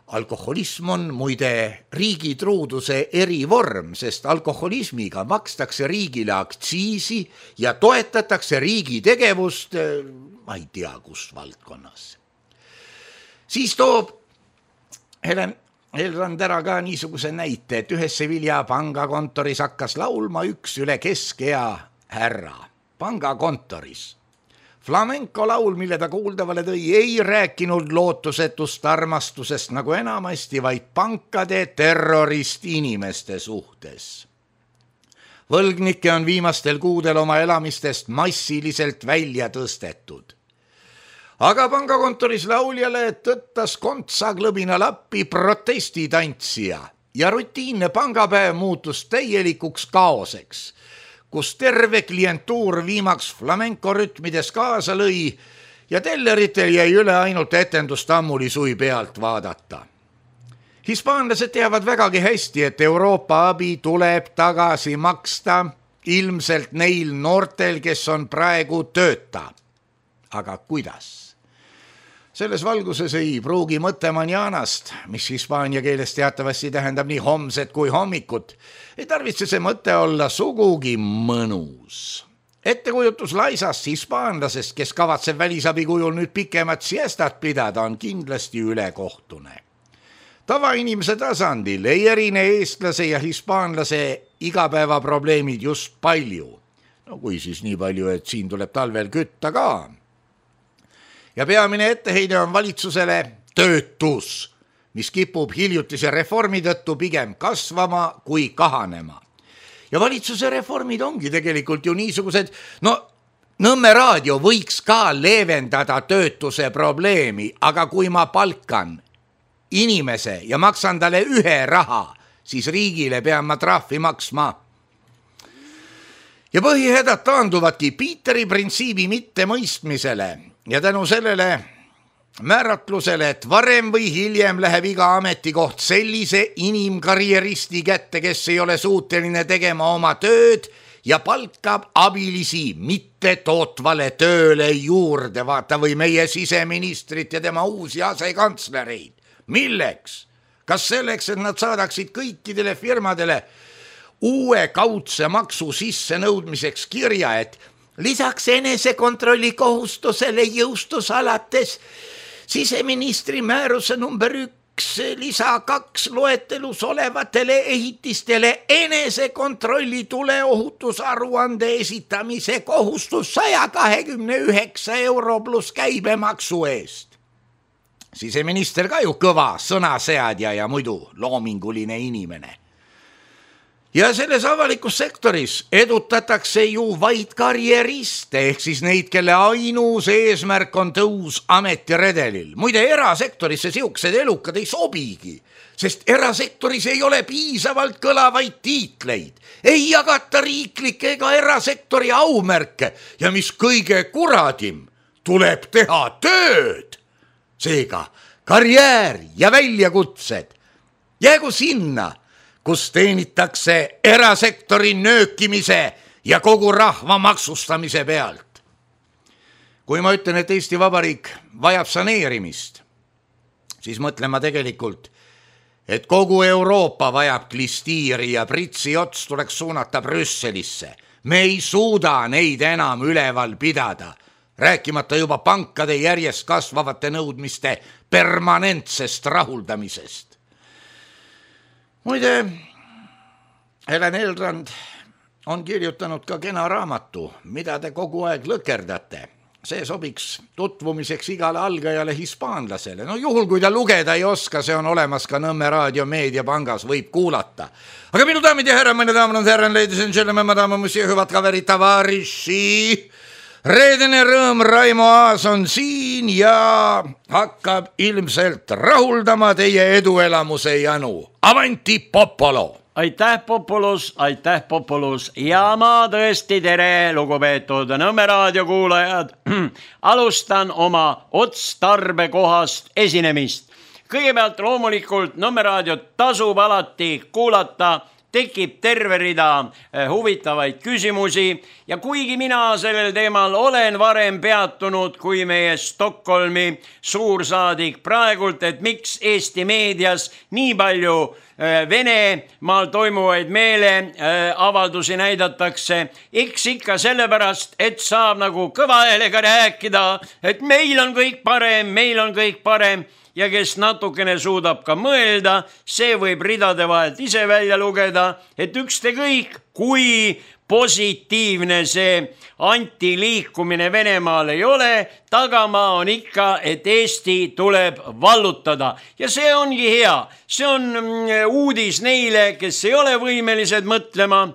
Alkoholism on muide riigi truuduse erivorm, sest alkoholismiga makstakse riigile aktsiisi ja toetatakse riigi tegevust, ma ei tea kus valdkonnas. Siis toob Helen Eelrand ära ka niisuguse näite, et ühes Sevilla pangakontoris hakkas laulma üks üle keskea härra pangakontoris. Flamenco laul, mille ta kuuldavale tõi, ei rääkinud lootusetust armastusest nagu enamasti, vaid pankade terrorist inimeste suhtes. Võlgnikke on viimastel kuudel oma elamistest massiliselt välja tõstetud. Aga pangakontoris lauljale tõttas kontsaglõbina lappi protestitantsija ja rutiinne pangapäev muutus täielikuks kaoseks, kus terve klientuur viimaks flamenco rütmides kaasa lõi ja telleritel jäi üle ainult etendust ammulisui pealt vaadata. Hispaanlased teavad vägagi hästi, et Euroopa abi tuleb tagasi maksta ilmselt neil noortel, kes on praegu tööta. Aga kuidas? Selles valguses ei pruugi mõte manjanast, mis hispaania keeles teatavasti tähendab nii homset kui hommikut, ei tarvitse see mõte olla sugugi mõnus. Ettekujutus laisast hispaanlasest, kes kavatseb välisabi kujul nüüd pikemat siestat pidada, on kindlasti ülekohtune. Tavainimese tasandil ei erine eestlase ja hispaanlase igapäevaprobleemid just palju. No kui siis nii palju, et siin tuleb talvel kütta ka. Ja peamine etteheide on valitsusele töötus, mis kipub hiljutise reformi tõttu pigem kasvama kui kahanema. Ja valitsuse reformid ongi tegelikult ju niisugused, Nõmme raadio võiks ka leevendada töötuse probleemi, aga kui ma palkan inimese ja maksan talle 1 raha, siis riigile pean ma trahvi maksma. Ja põhihädad taanduvadki Piiteri printsiibi mittemõistmisele ja tänu sellele määratlusele, et varem või hiljem läheb iga ametikoht sellise inimkarjeristi kätte, kes ei ole suuteline tegema oma tööd ja palkab abilisi mitte tootvale tööle juurde, vaata või meie siseministrit ja tema uusi asekantslereid. Milleks? Kas selleks, et nad saadaksid kõikidele firmadele uue kaudse maksu sissenõudmiseks kirja, et lisaks enesekontrolli kohustusele jõustus alates siseministri määruse number lisa 2 loetelus olevatele ehitistele enesekontrolli tuleohutusaruande esitamise kohustus 129 euro pluss käibemaksu eest. Siseminister ka ju kõva sõnaseadja ja muidu loominguline inimene. Ja selles avalikus sektoris edutatakse ju vaid karjeriste, ehk siis neid, kelle ainus eesmärk on tõus ametiredelil. Muide, erasektorisse siuksed elukad ei sobigi, sest erasektoris ei ole piisavalt kõlavaid tiitleid. Ei jagata riiklikke ega erasektori aumärke ja mis kõige kuradim, tuleb teha tööd. Seega karjäär ja väljakutsed jäägu sinna, kus teenitakse erasektori nöökimise ja kogu rahva maksustamise pealt. Kui ma ütlen, et Eesti Vabariik vajab saneerimist, siis mõtlen ma tegelikult, et kogu Euroopa vajab klistiiri ja pritsi ots tuleks suunata Brüsselisse. Me ei suuda neid enam üleval pidada, rääkimata juba pankade järjest kasvavate nõudmiste permanentsest rahuldamisest. Muide, Helen Elrand on kirjutanud ka kena raamatu, mida te kogu aeg lõkerdate. See sobiks tutvumiseks igale algajale hispaanlasele. No juhul, kui ta lugeda ei oska, see on olemas ka Nõmme Raadio Meediapangas, võib kuulata. Aga minu daamid ja härra, meine daamid ja härrad, ladies and gentlemen, madame, monsieur, hüvad kaverid, tavariši. Reedene rõõm Raimo Aas on siin ja hakkab ilmselt rahuldama teie eduelamuse janu. Avanti Popolo! Aitäh Popolus ja ma tõesti tere, lugupeetud Nõmme Raadio kuulajad. Alustan oma otstarbekohast esinemist. Kõigepealt loomulikult Nõmme Raadiot tasub alati kuulata, tekib terve rida huvitavaid küsimusi ja kuigi mina sellel teemal olen varem peatunud kui meie Stockholmi suursaadik praegult, et miks Eesti meedias nii palju Venemaal toimuvaid meeleavaldusi näidatakse, eks ikka sellepärast, et saab nagu kõva häälega rääkida, et meil on kõik parem ja kes natukene suudab ka mõelda, see võib ridade vahelt ise välja lugeda, et ükskõik kui positiivne see antiliikumine Venemaal ei ole, tagamaa on ikka, et Eesti tuleb vallutada. Ja see ongi hea. See on uudis neile, kes ei ole võimelised mõtlema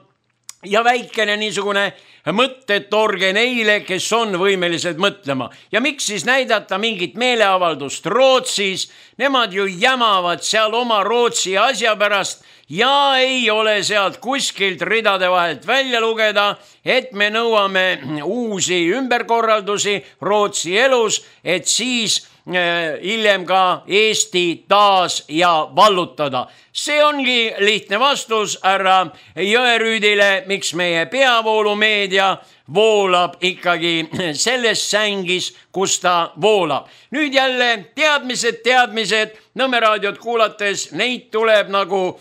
ja väikene niisugune mõttetorge neile, kes on võimelised mõtlema. Ja miks siis näidata mingit meeleavaldust Rootsis? Nemad ju jämavad seal oma Rootsi asja pärast ja ei ole sealt kuskilt ridade vahelt välja lugeda, et me nõuame uusi ümberkorraldusi Rootsi elus, et siis hiljem ka Eesti taas ja vallutada. See ongi lihtne vastus härra Jõerüüdile, miks meie peavoolumeedia voolab ikkagi selles sängis, kus ta voolab. Nüüd jälle teadmised, Nõmme Raadiot kuulates, neid tuleb nagu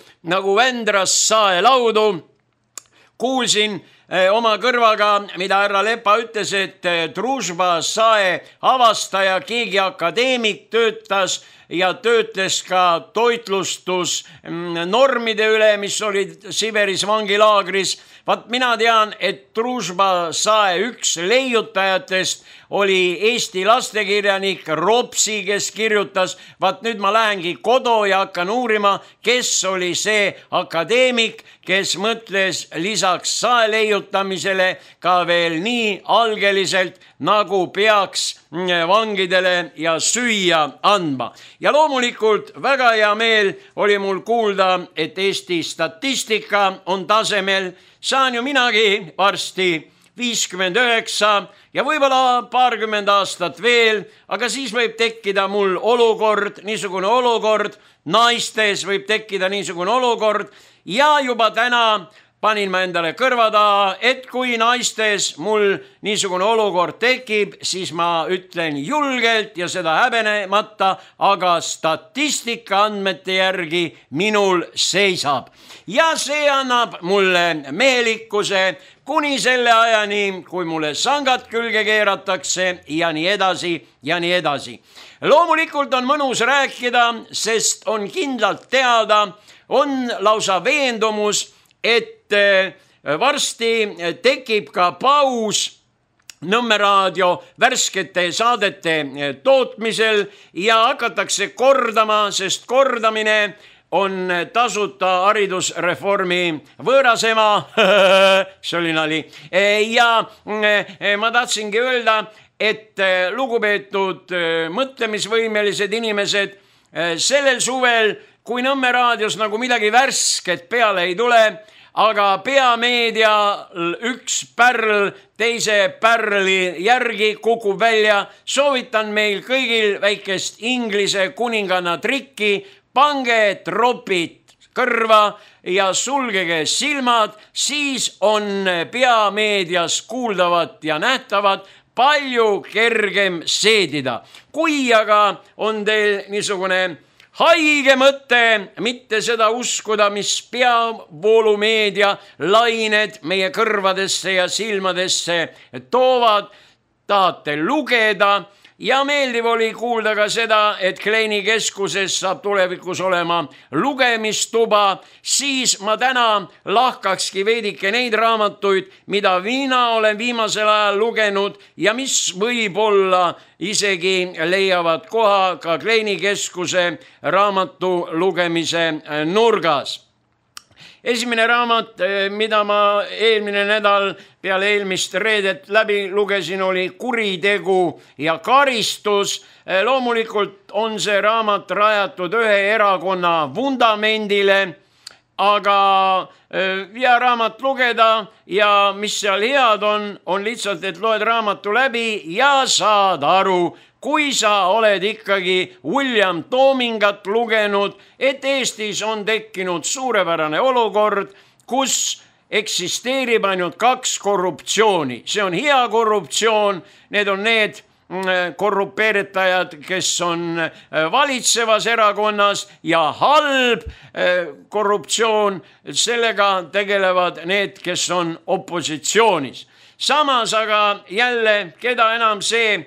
Vändras saelaudu. Kuulsin oma kõrvaga, mida härra Lepa ütles, et Družba sae avastaja, keegi akadeemik töötles ka toitlustusnormide üle, mis olid Siberis vangilaagris. Vaat mina tean, et Družba sae üks leiutajatest oli Eesti lastekirjanik Ropsi, kes kirjutas. Vaat nüüd ma lähengi kodu ja hakkan uurima, kes oli see akadeemik, kes mõtles lisaks sae leiutamisele ka veel nii algeliselt, nagu peaks vangidele ja süüa andma. Ja loomulikult väga hea meel oli mul kuulda, et Eesti statistika on tasemel. Saan ju minagi varsti 59 ja võib-olla paarkümmend aastat veel, aga siis võib tekkida mul niisugune olukord, naistes võib tekkida niisugune olukord ja juba täna panin ma endale kõrva taha, et kui naistes mul niisugune olukord tekib, siis ma ütlen julgelt ja seda häbenemata, aga statistika andmete järgi minul seisab. Ja see annab mulle mehelikkuse kuni selle ajani, kui mulle sangad külge keeratakse ja nii edasi ja nii edasi. Loomulikult on mõnus rääkida, sest on kindlalt teada, on lausa veendumus, et varsti tekib ka paus Nõmme raadio värskete saadete tootmisel ja hakatakse kordama, sest kordamine on tasuta haridusreformi võõrasema, see oli nali. Ja ma tahtsingi öelda, et lugupeetud mõtlemisvõimelised inimesed, sellel suvel, kui Nõmme raadios nagu midagi värsket peale ei tule, aga peameedia üks pärl teise pärli järgi kukub välja, soovitan meil kõigil väikest Inglise kuninganna trikki, pange tropid kõrva ja sulgege silmad, siis on peameedias kuuldavat ja nähtavat palju kergem seedida. Kui aga on teil niisugune haige mõte mitte seda uskuda, mis peavoolumeedia lained meie kõrvadesse ja silmadesse toovad, tahate lugeda ja meeldiv oli kuulda ka seda, et Kleini keskuses saab tulevikus olema lugemistuba, siis ma täna lahkakski veidike neid raamatuid, mida mina olen viimasel ajal lugenud ja mis võib-olla isegi leiavad koha ka Kleini keskuse raamatu lugemise nurgas. Esimene raamat, mida ma eelmine nädal peale eelmist reedet läbi lugesin, oli Kuritegu ja karistus. Loomulikult on see raamat rajatud ühe erakonna vundamendile, aga hea raamat lugeda ja mis seal head on lihtsalt, et loed raamatu läbi ja saad aru, kui sa oled ikkagi William Toomingat lugenud, et Eestis on tekkinud suurepärane olukord, kus eksisteerib ainult 2 korruptsiooni. See on hea korruptsioon, need on need korrupeeritajad, kes on valitsevas erakonnas ja halb korruptsioon, sellega tegelevad need, kes on opositsioonis. Samas aga jälle, keda enam see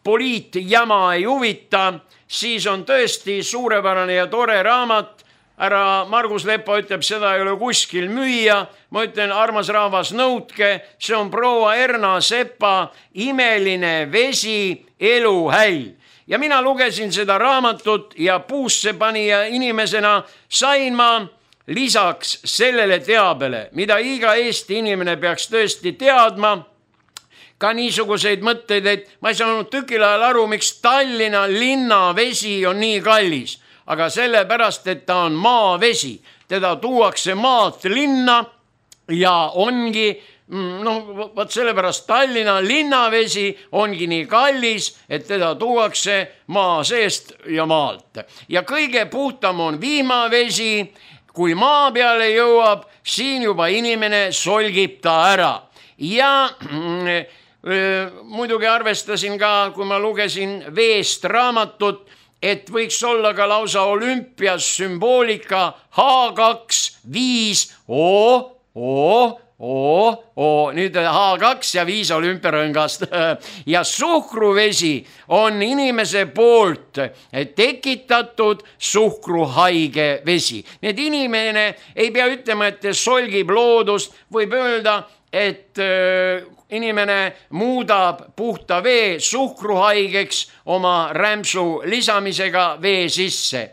poliitjama ei huvita, siis on tõesti suurepärane ja tore raamat. Härra Margus Lepa ütleb, seda ei ole kuskil müüa. Ma ütlen, armas rahvas, nõudke, see on proua Erna Sepa Imeline vesi eluhäll. Ja mina lugesin seda raamatut ja puusse panija inimesena sain ma lisaks sellele teabele, mida iga Eesti inimene peaks tõesti teadma, ka niisuguseid mõtteid, et ma ei saanud tükil ajal aru, miks Tallinna linnavesi on nii kallis, aga sellepärast, et ta on maavesi. Teda tuuakse maalt linna ja ongi, võt sellepärast Tallinna linnavesi ongi nii kallis, et teda tuuakse maa seest ja maalt. Ja kõige puhtam on vihmavesi, kui maa peale jõuab, siin juba inimene solgib ta ära. Ja muidugi arvestasin ka, kui ma lugesin veest raamatut, et võiks olla ka lausa olümpias sümboolika H2-5, nüüd H2 ja 5 olümpiarõngast. Ja suhkruvesi on inimese poolt tekitatud suhkruhaige vesi. Need inimene ei pea ütlema, et solgib loodust, võib öelda, et inimene muudab puhta vee suhkruhaigeks oma rämpsu lisamisega vee sisse.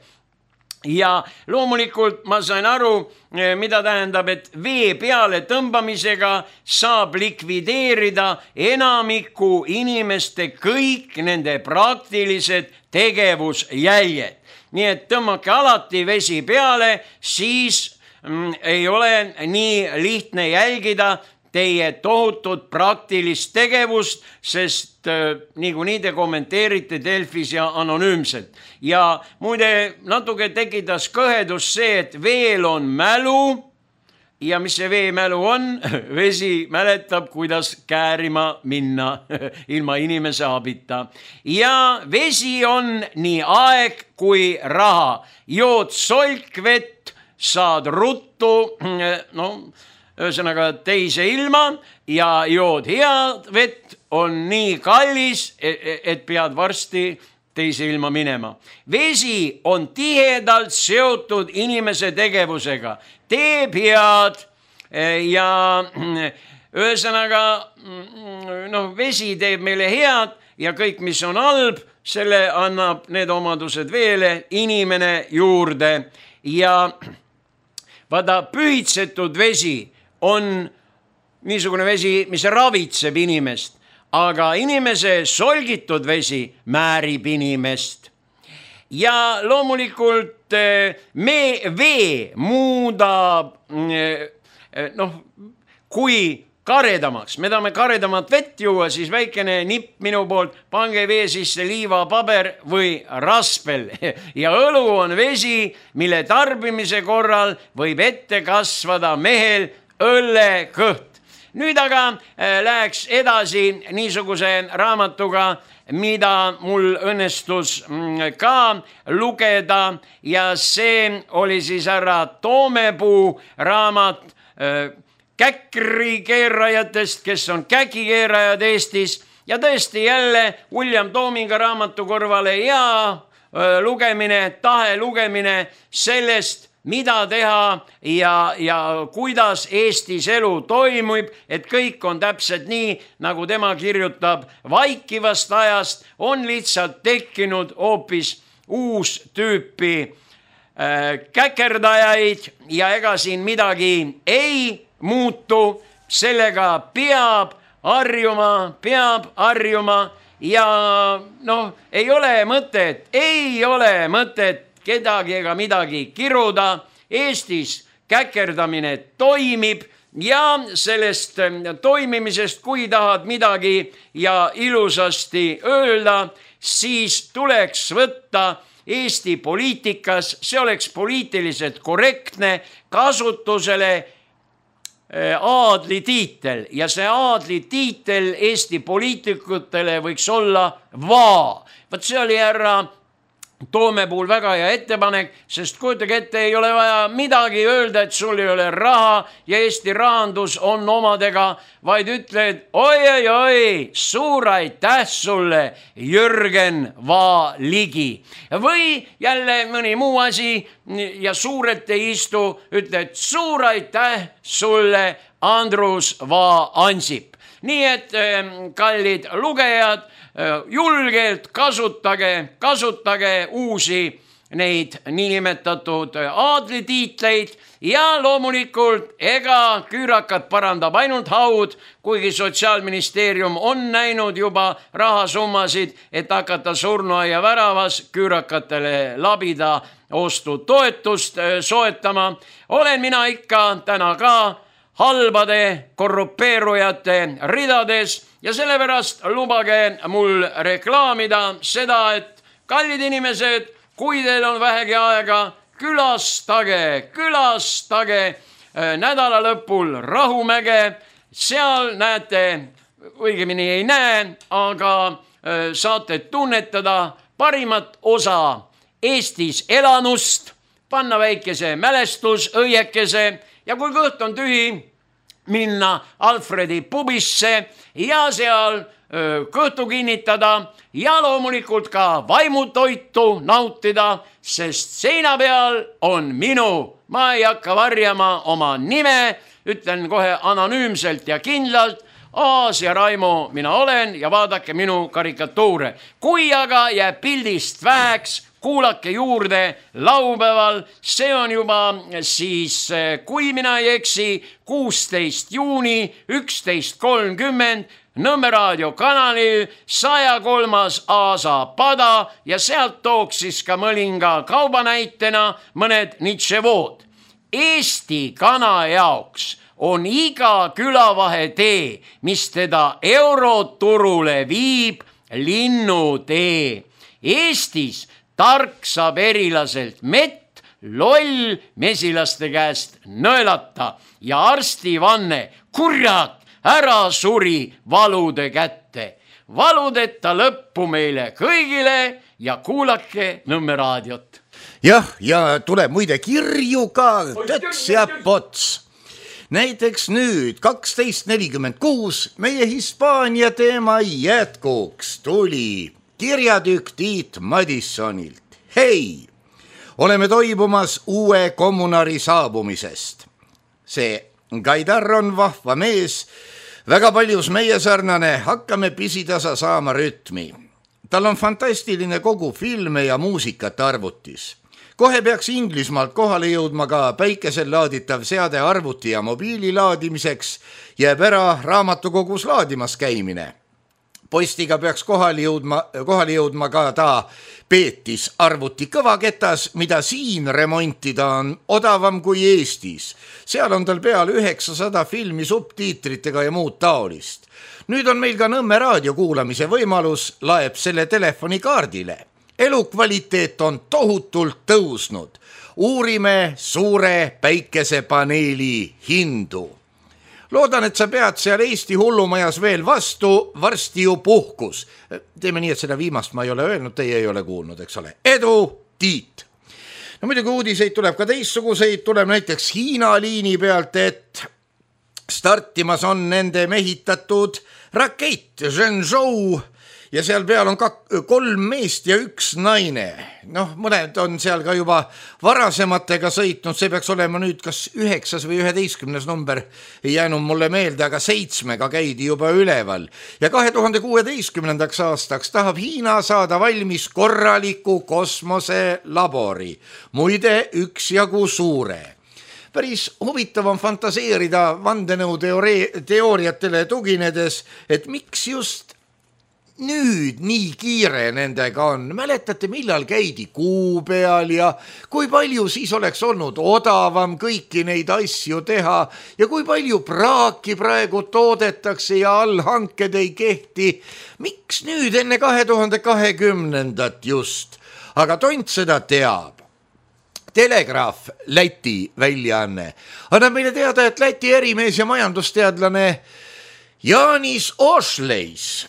Ja loomulikult ma sain aru, mida tähendab, et vee peale tõmbamisega saab likvideerida enamiku inimeste kõik nende praktilised tegevusjäljed. Nii et tõmmake alati vesi peale, siis ei ole nii lihtne jälgida teie tohutut praktilist tegevust, sest niikuinii te kommenteerite Delfis ja anonüümselt. Ja muide natuke tekitas kõhedus see, et veel on mälu, ja mis see veemälu on? Vesi mäletab, kuidas käärima minna ilma inimese abita. Ja vesi on nii aeg kui raha. Jood solkvett, saad ruttu, ühesõnaga teise ilma ja jood head vett, on nii kallis, et pead varsti teise ilma minema. Vesi on tihedalt seotud inimese tegevusega, teeb head ja ühesõnaga vesi teeb meile head ja kõik, mis on halb, selle annab need omadused veele inimene juurde. Ja vaata, pühitsetud vesi on niisugune vesi, mis ravitseb inimest, aga inimese solgitud vesi määrib inimest. Ja loomulikult vee muudab, kui karedamaks, me tahame karedamat vett juua, siis väikene nipp minu poolt, pange vee sisse liivapaber või raspel. Ja õlu on vesi, mille tarbimise korral võib ette kasvada mehel õllekõht. Nüüd aga läheks edasi niisuguse raamatuga, mida mul õnnestus ka lugeda ja see oli siis härra Toomepuu raamat käkrikeerajatest, kes on käkikeerajad Eestis ja tõesti jälle William Toominga raamatu kõrvale ja tahe lugemine sellest, mida teha ja kuidas Eestis elu toimub, et kõik on täpselt nii, nagu tema kirjutab. Vaikivast ajast on lihtsalt tekkinud hoopis uus tüüpi käkerdajaid ja ega siin midagi ei muutu, sellega peab harjuma ja ei ole mõtet kedagi ega midagi kiruda. Eestis käkerdamine toimib ja sellest toimimisest, kui tahad midagi ja ilusasti öelda, siis tuleks võtta Eesti poliitikas, see oleks poliitiliselt korrektne, kasutusele aadlitiitel ja see aadlitiitel Eesti poliitikutele võiks olla vaa. Vaat see oli härra Toomepuul väga hea ettepanek, sest kujutage ette, ei ole vaja midagi öelda, et sul ei ole raha ja Eesti rahandus on omadega, vaid ütled, oi, suur aitäh sulle, Jürgen Vaaligi. Või jälle mõni muu asi ja suurelt ei istu, ütled suur aitäh sulle, Andrus Ansip. Nii et kallid lugejad, julgelt kasutage uusi neid niinimetatud aadlitiitleid ja loomulikult ega küürakat parandab ainult haud, kuigi Sotsiaalministeerium on näinud juba rahasummasid, et hakata surnuaia väravas küürakatele labida ostutoetust soetama. Olen mina ikka täna ka halbade korrupeerujate ridades ja sellepärast lubage mul reklaamida seda, et kallid inimesed, kui teil on vähegi aega, külastage nädala lõpul Rahumäge, seal näete, õigemini ei näe, aga saate tunnetada parimat osa Eestis elanust, panna väikese mälestusõiekese ja kui kõht on tühi, minna Alfredi pubisse ja seal kõhtu kinnitada ja loomulikult ka vaimutoitu nautida, sest seina peal on ma ei hakka varjama oma nime, ütlen kohe anonüümselt ja kindlalt, Aasia Raimo mina olen ja vaadake minu karikatuure. Kui aga jääb pildist väheks, kuulake juurde laupäeval, see on juba siis, kui mina ei eksi, 16. juuni 11.30 Nõmme raadio kanalil 103. Aasa pada ja sealt tooks siis ka mõlinga kaubanäitena mõned nitševood. Eesti kana jaoks on iga külavahetee, mis teda euroturule viib, linnutee. Eestis tark saab erilaselt mett, loll mesilaste käest nõelata ja arstivanne, kurat, ära suri valude kätte. Valudeta lõppu meile kõigile ja kuulake Nõmme raadiot. Jah, ja tuleb muide kirju ka töts ja pots. Näiteks nüüd 12.46 meie Hispaania teema jätkuks tuli kirjatükk Tiit Madissonilt. Hei, oleme toibumas uue kommunari saabumisest. See Gaidar on vahva mees, väga paljus meie sarnane, hakkame pisitasa saama rütmi. Tal on fantastiline kogu filme ja muusikat arvutis. Kohe peaks Inglismaalt kohale jõudma ka päikesel laaditav seade arvuti ja mobiili laadimiseks, jääb ära raamatukogus laadimas käimine. Postiga peaks kohale jõudma ka ta Peetis arvuti kõvaketas, mida siin remontida on odavam kui Eestis. Seal on tal peal 900 filmi subtiitritega ja muud taolist. Nüüd on meil ka Nõmme raadio kuulamise võimalus, laeb selle telefonikaardile. Elukvaliteet on tohutult tõusnud. Uurime suure päikesepaneeli hindu. Loodan, et sa pead seal Eesti hullumajas veel vastu, varsti ju puhkus. Teeme nii, et seda viimast ma ei ole öelnud, teie ei ole kuulnud, eks ole. Edu, Tiit! No muidugi uudiseid tuleb ka teistsuguseid, tuleb näiteks Hiina liini pealt, et startimas on nende mehitatud rakett Zhenzhou ja seal peal on 3 meest ja 1 naine. Noh, mõned on seal ka juba varasematega sõitnud, see peaks olema nüüd kas 9. või 11. number, ei jäänud mulle meelde, aga 7-ga käidi juba üleval. Ja 2016. aastaks tahab Hiina saada valmis korraliku kosmoselabori, muide üksjagu suure. Päris huvitav on fantaseerida vandenõu teooriatele tuginedes, et miks just nüüd nii kiire nendega on. Mäletate, millal käidi Kuu peal ja kui palju siis oleks olnud odavam kõiki neid asju teha ja kui palju praaki praegu toodetakse ja allhanked ei kehti. Miks nüüd enne 2020 just? Aga tont seda teab. Telegraaf, Läti väljaanne, annab meile teada, et Läti erimees ja majandusteadlane Jānis Ošleis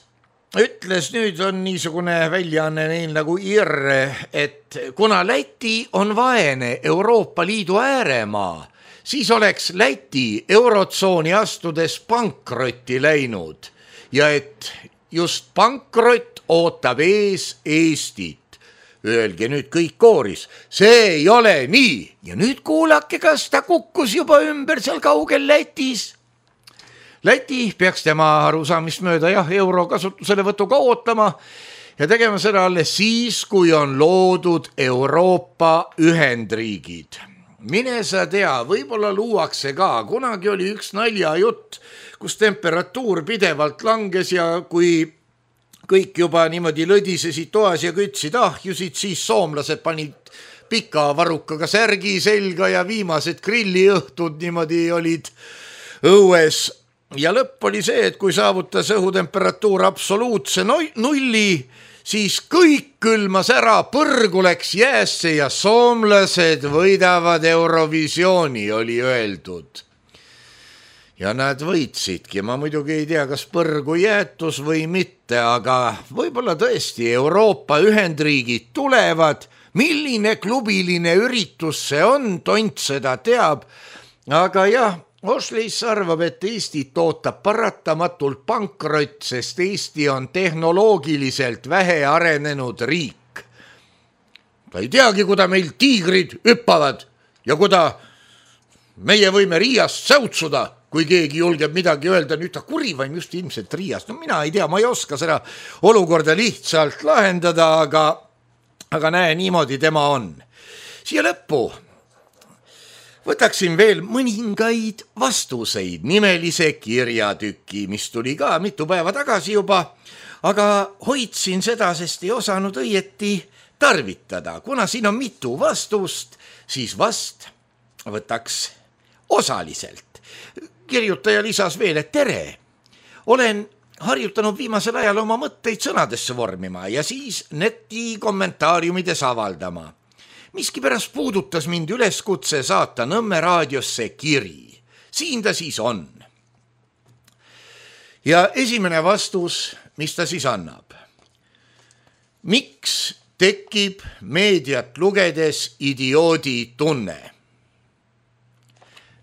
ütles, nüüd on niisugune väljaanne neil nagu IR, et kuna Läti on vaene Euroopa Liidu ääremaa, siis oleks Läti eurotsooni astudes pankrotti läinud ja et just pankrott ootab ees Eestit. Öelge nüüd kõik kooris, see ei ole nii ja nüüd kuulake, kas ta kukkus juba ümber seal kaugel Lätis. Läti peaks tema arusaamist mööda euro kasutuselevõtuga ootama ja tegema seda alles siis, kui on loodud Euroopa Ühendriigid. Mine sa tea, võib-olla luuakse ka, kunagi oli üks naljajutt, kus temperatuur pidevalt langes ja kui kõik juba niimoodi lõdisesid toas ja kütsid ahjusid, siis soomlased panid pika varukaga särgi selga ja viimased grilliõhtud niimoodi olid õues. Ja lõpp oli see, et kui saavutas õhutemperatuur absoluutse nulli, siis kõik külmas ära, põrgu läks jäässe ja soomlased võidavad Eurovisiooni, oli öeldud. Ja nad võitsidki, ma muidugi ei tea, kas põrgu jäätus või mitte, aga võib-olla tõesti Euroopa Ühendriigid tulevad, milline klubiline üritus see on, tont seda teab, aga jah, Ošleis arvab, et Eestit ootab paratamatult pankrott, sest Eesti on tehnoloogiliselt vähe arenenud riik. Ta ei teagi, kuda meil tiigrid hüppavad ja kuda meie võime Riiast säutsuda, kui keegi julgeb midagi öelda, nüüd ta kurivaim just ilmselt Riiast. No mina ei tea, ma ei oska seda olukorda lihtsalt lahendada, aga näe, niimoodi tema on. Siia lõppu võtaksin veel mõningaid vastuseid nimelise kirjatüki, mis tuli ka mitu päeva tagasi juba, aga hoidsin seda, sest ei osanud õieti tarvitada. Kuna siin on mitu vastust, siis vast võtaks osaliselt. Kirjutaja lisas veel, et tere, olen harjutanud viimasel ajal oma mõtteid sõnadesse vormima ja siis neti kommentaariumides avaldama. miskipärast puudutas mind üleskutse saata Nõmme raadiosse kiri. Siin ta siis on. Ja esimene vastus, mis ta siis annab. Miks tekib meediat lugedes idioodi tunne?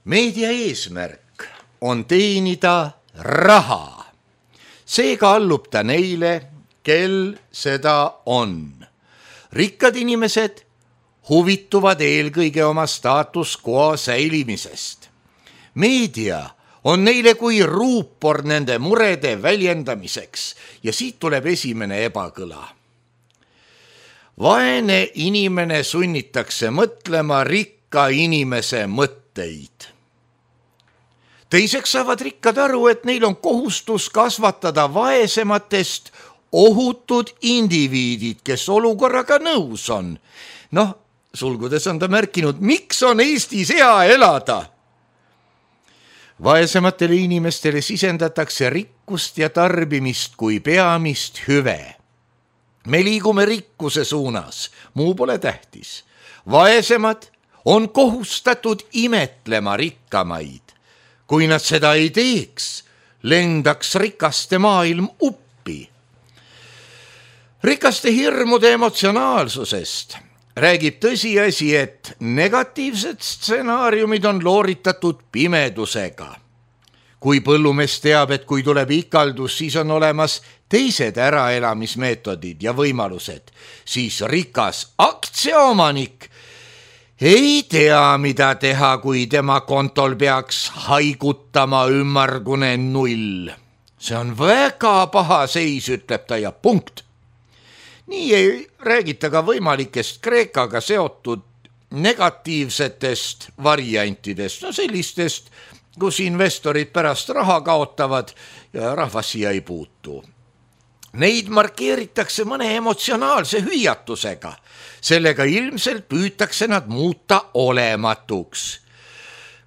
Meedia eesmärk on teenida raha. Seega allub ta neile, kel seda on. Rikkad inimesed huvituvad eelkõige oma status quo säilimisest. Meedia on neile kui ruupor nende murede väljendamiseks ja siit tuleb esimene ebakõla. Vaene inimene sunnitakse mõtlema rikka inimese mõtteid. Teiseks saavad rikkad aru, et neil on kohustus kasvatada vaesematest ohutud indiviidid, kes olukorraga nõus on. Sulgudes on ta märkinud, miks on Eestis hea elada? Vaesematele inimestele sisendatakse rikkust ja tarbimist kui peamist hüve. Me liigume rikkuse suunas, muu pole tähtis. Vaesemad on kohustatud imetlema rikkamaid. Kui nad seda ei teeks, lendaks rikaste maailm uppi. Rikaste hirmude emotsionaalsusest räägib tõsiasi, et negatiivsed stsenaariumid on looritatud pimedusega. Kui põllumees teab, et kui tuleb ikaldus, siis on olemas teised äraelamismeetodid ja võimalused, siis rikas aktsiaomanik ei tea, mida teha, kui tema kontol peaks haigutama ümmargune 0. See on väga paha seis, ütleb ta ja punkt. Nii ei räägita ka võimalikest Kreekaga seotud negatiivsetest variantidest, sellistest, kus investorid pärast raha kaotavad ja rahvas siia ei puutu. Neid markeeritakse mõne emotsionaalse hüüatusega. Sellega ilmselt püütakse nad muuta olematuks.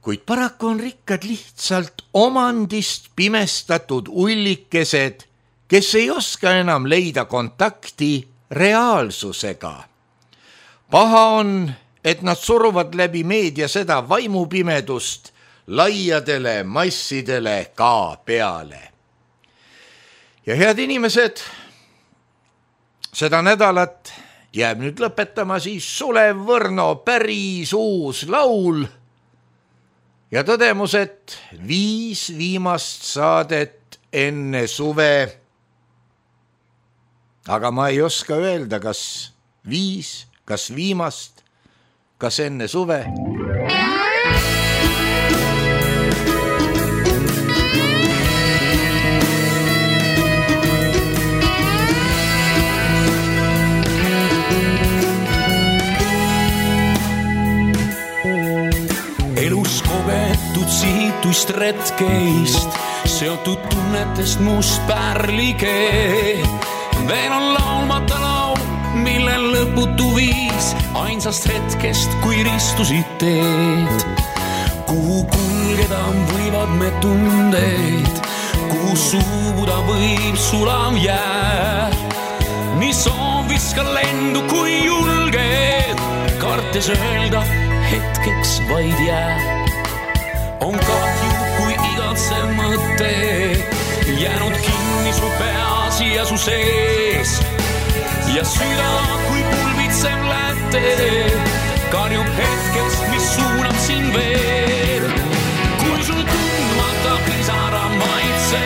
Kuid paraku on rikkad lihtsalt omandist pimestatud ullikesed, kes ei oska enam leida kontakti reaalsusega. Paha on, et nad suruvad läbi meedia seda vaimupimedust laiadele massidele ka peale. Ja head inimesed, seda nädalat jääb nüüd lõpetama siis Sulev Võrno päris uus laul ja tõdemus, et 5 viimast saadet enne suve. Aga ma ei oska öelda, kas 5, kas viimast, kas enne suve. Elus kogetud siituist retkeist, seotud tunnetest must pärlikee. Veel on laulmata laul, mille lõputu viis ainsast hetkest, kui ristusid teed. Kuhu kulgeda võivad me tundeid, kuhu suubuda võib sulav jää. Nii soovis ka lendu, kui julged, kartes öelda hetkeks vaid jää. On kahju, kui igatsev mõte jäänud kinni su peas ja su sees ja süda, kui pulbitsev läte karjub hetkeks, mis suunab siin veel. Kui sul tundmata pisara maitse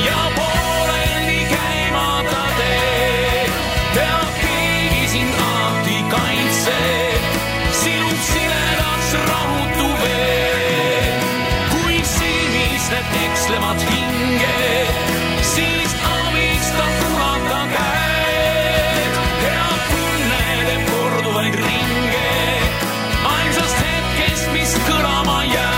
ja pooleldi käimata tee, teab keegi sind alati kaitse, sinud siledaks rahutu veel. Kui sinised ekslevad hinge, siis abista punata käed. Head tunnede korduvaid ringe, ainsast hetkest, mis kõlama jääb.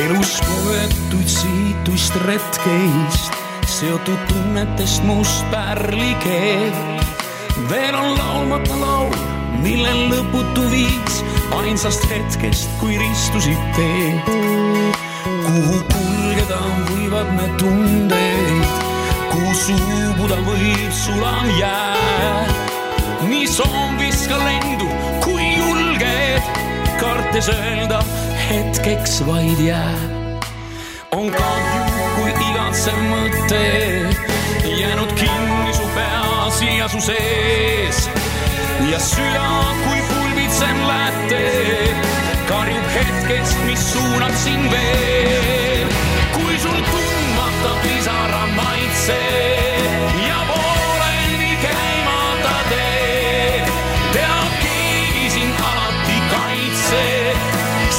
Elus kogetuid siituist retkeist, seotud tunnetest must pärlikee. veel on laulmata laul, millel lõputu viis ainsast hetkest, kui ristusid teed. Kuhu kulgeda võivad me tundeid, kuhu suubuda võib sulav jää. Nii soom viska lendu, kui julged, kartes öelda hetkeks vaid jää. On kahju, kui igatsev mõte jäänud kinni su peas ja su sees. Ja süda, kui pulbitsem läte, karjub hetkest, mis suunab sind veel. Kui sul tundmata pisara maitse ja pooleldi käimata tee, teab keegi sind alati kaitse,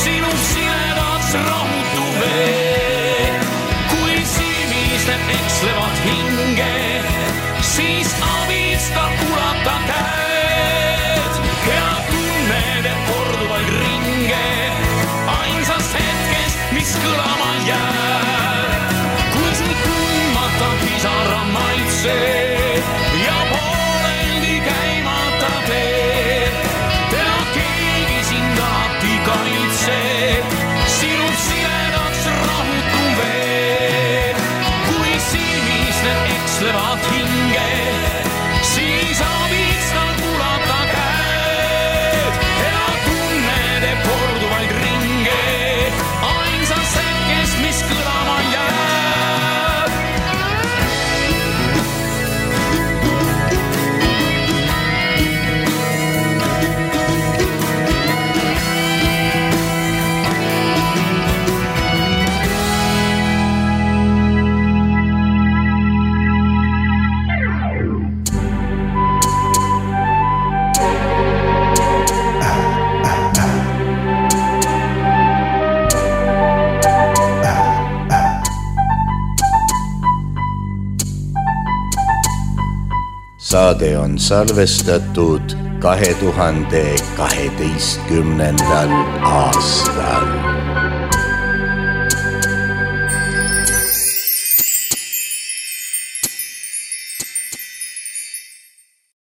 sinu sinedaks rahutu vee. Kui silmised ekslevad hinge, siis abista ulata käed ja tunned korduvaid ringe ainsast hetkest, mis kõlama jääb. Kui sul tundmata pisara maitse ja pooleldi käimata teed, tea keegi sind alati kaitse, sinu sinedaks rahutu vee. Kui silmis need ekslevad hinge, siis abistad ulata käed ja tunned korduvaid ringe ainsast hetkest, mis kõlama jääb. Saade on salvestatud 2012. aastal.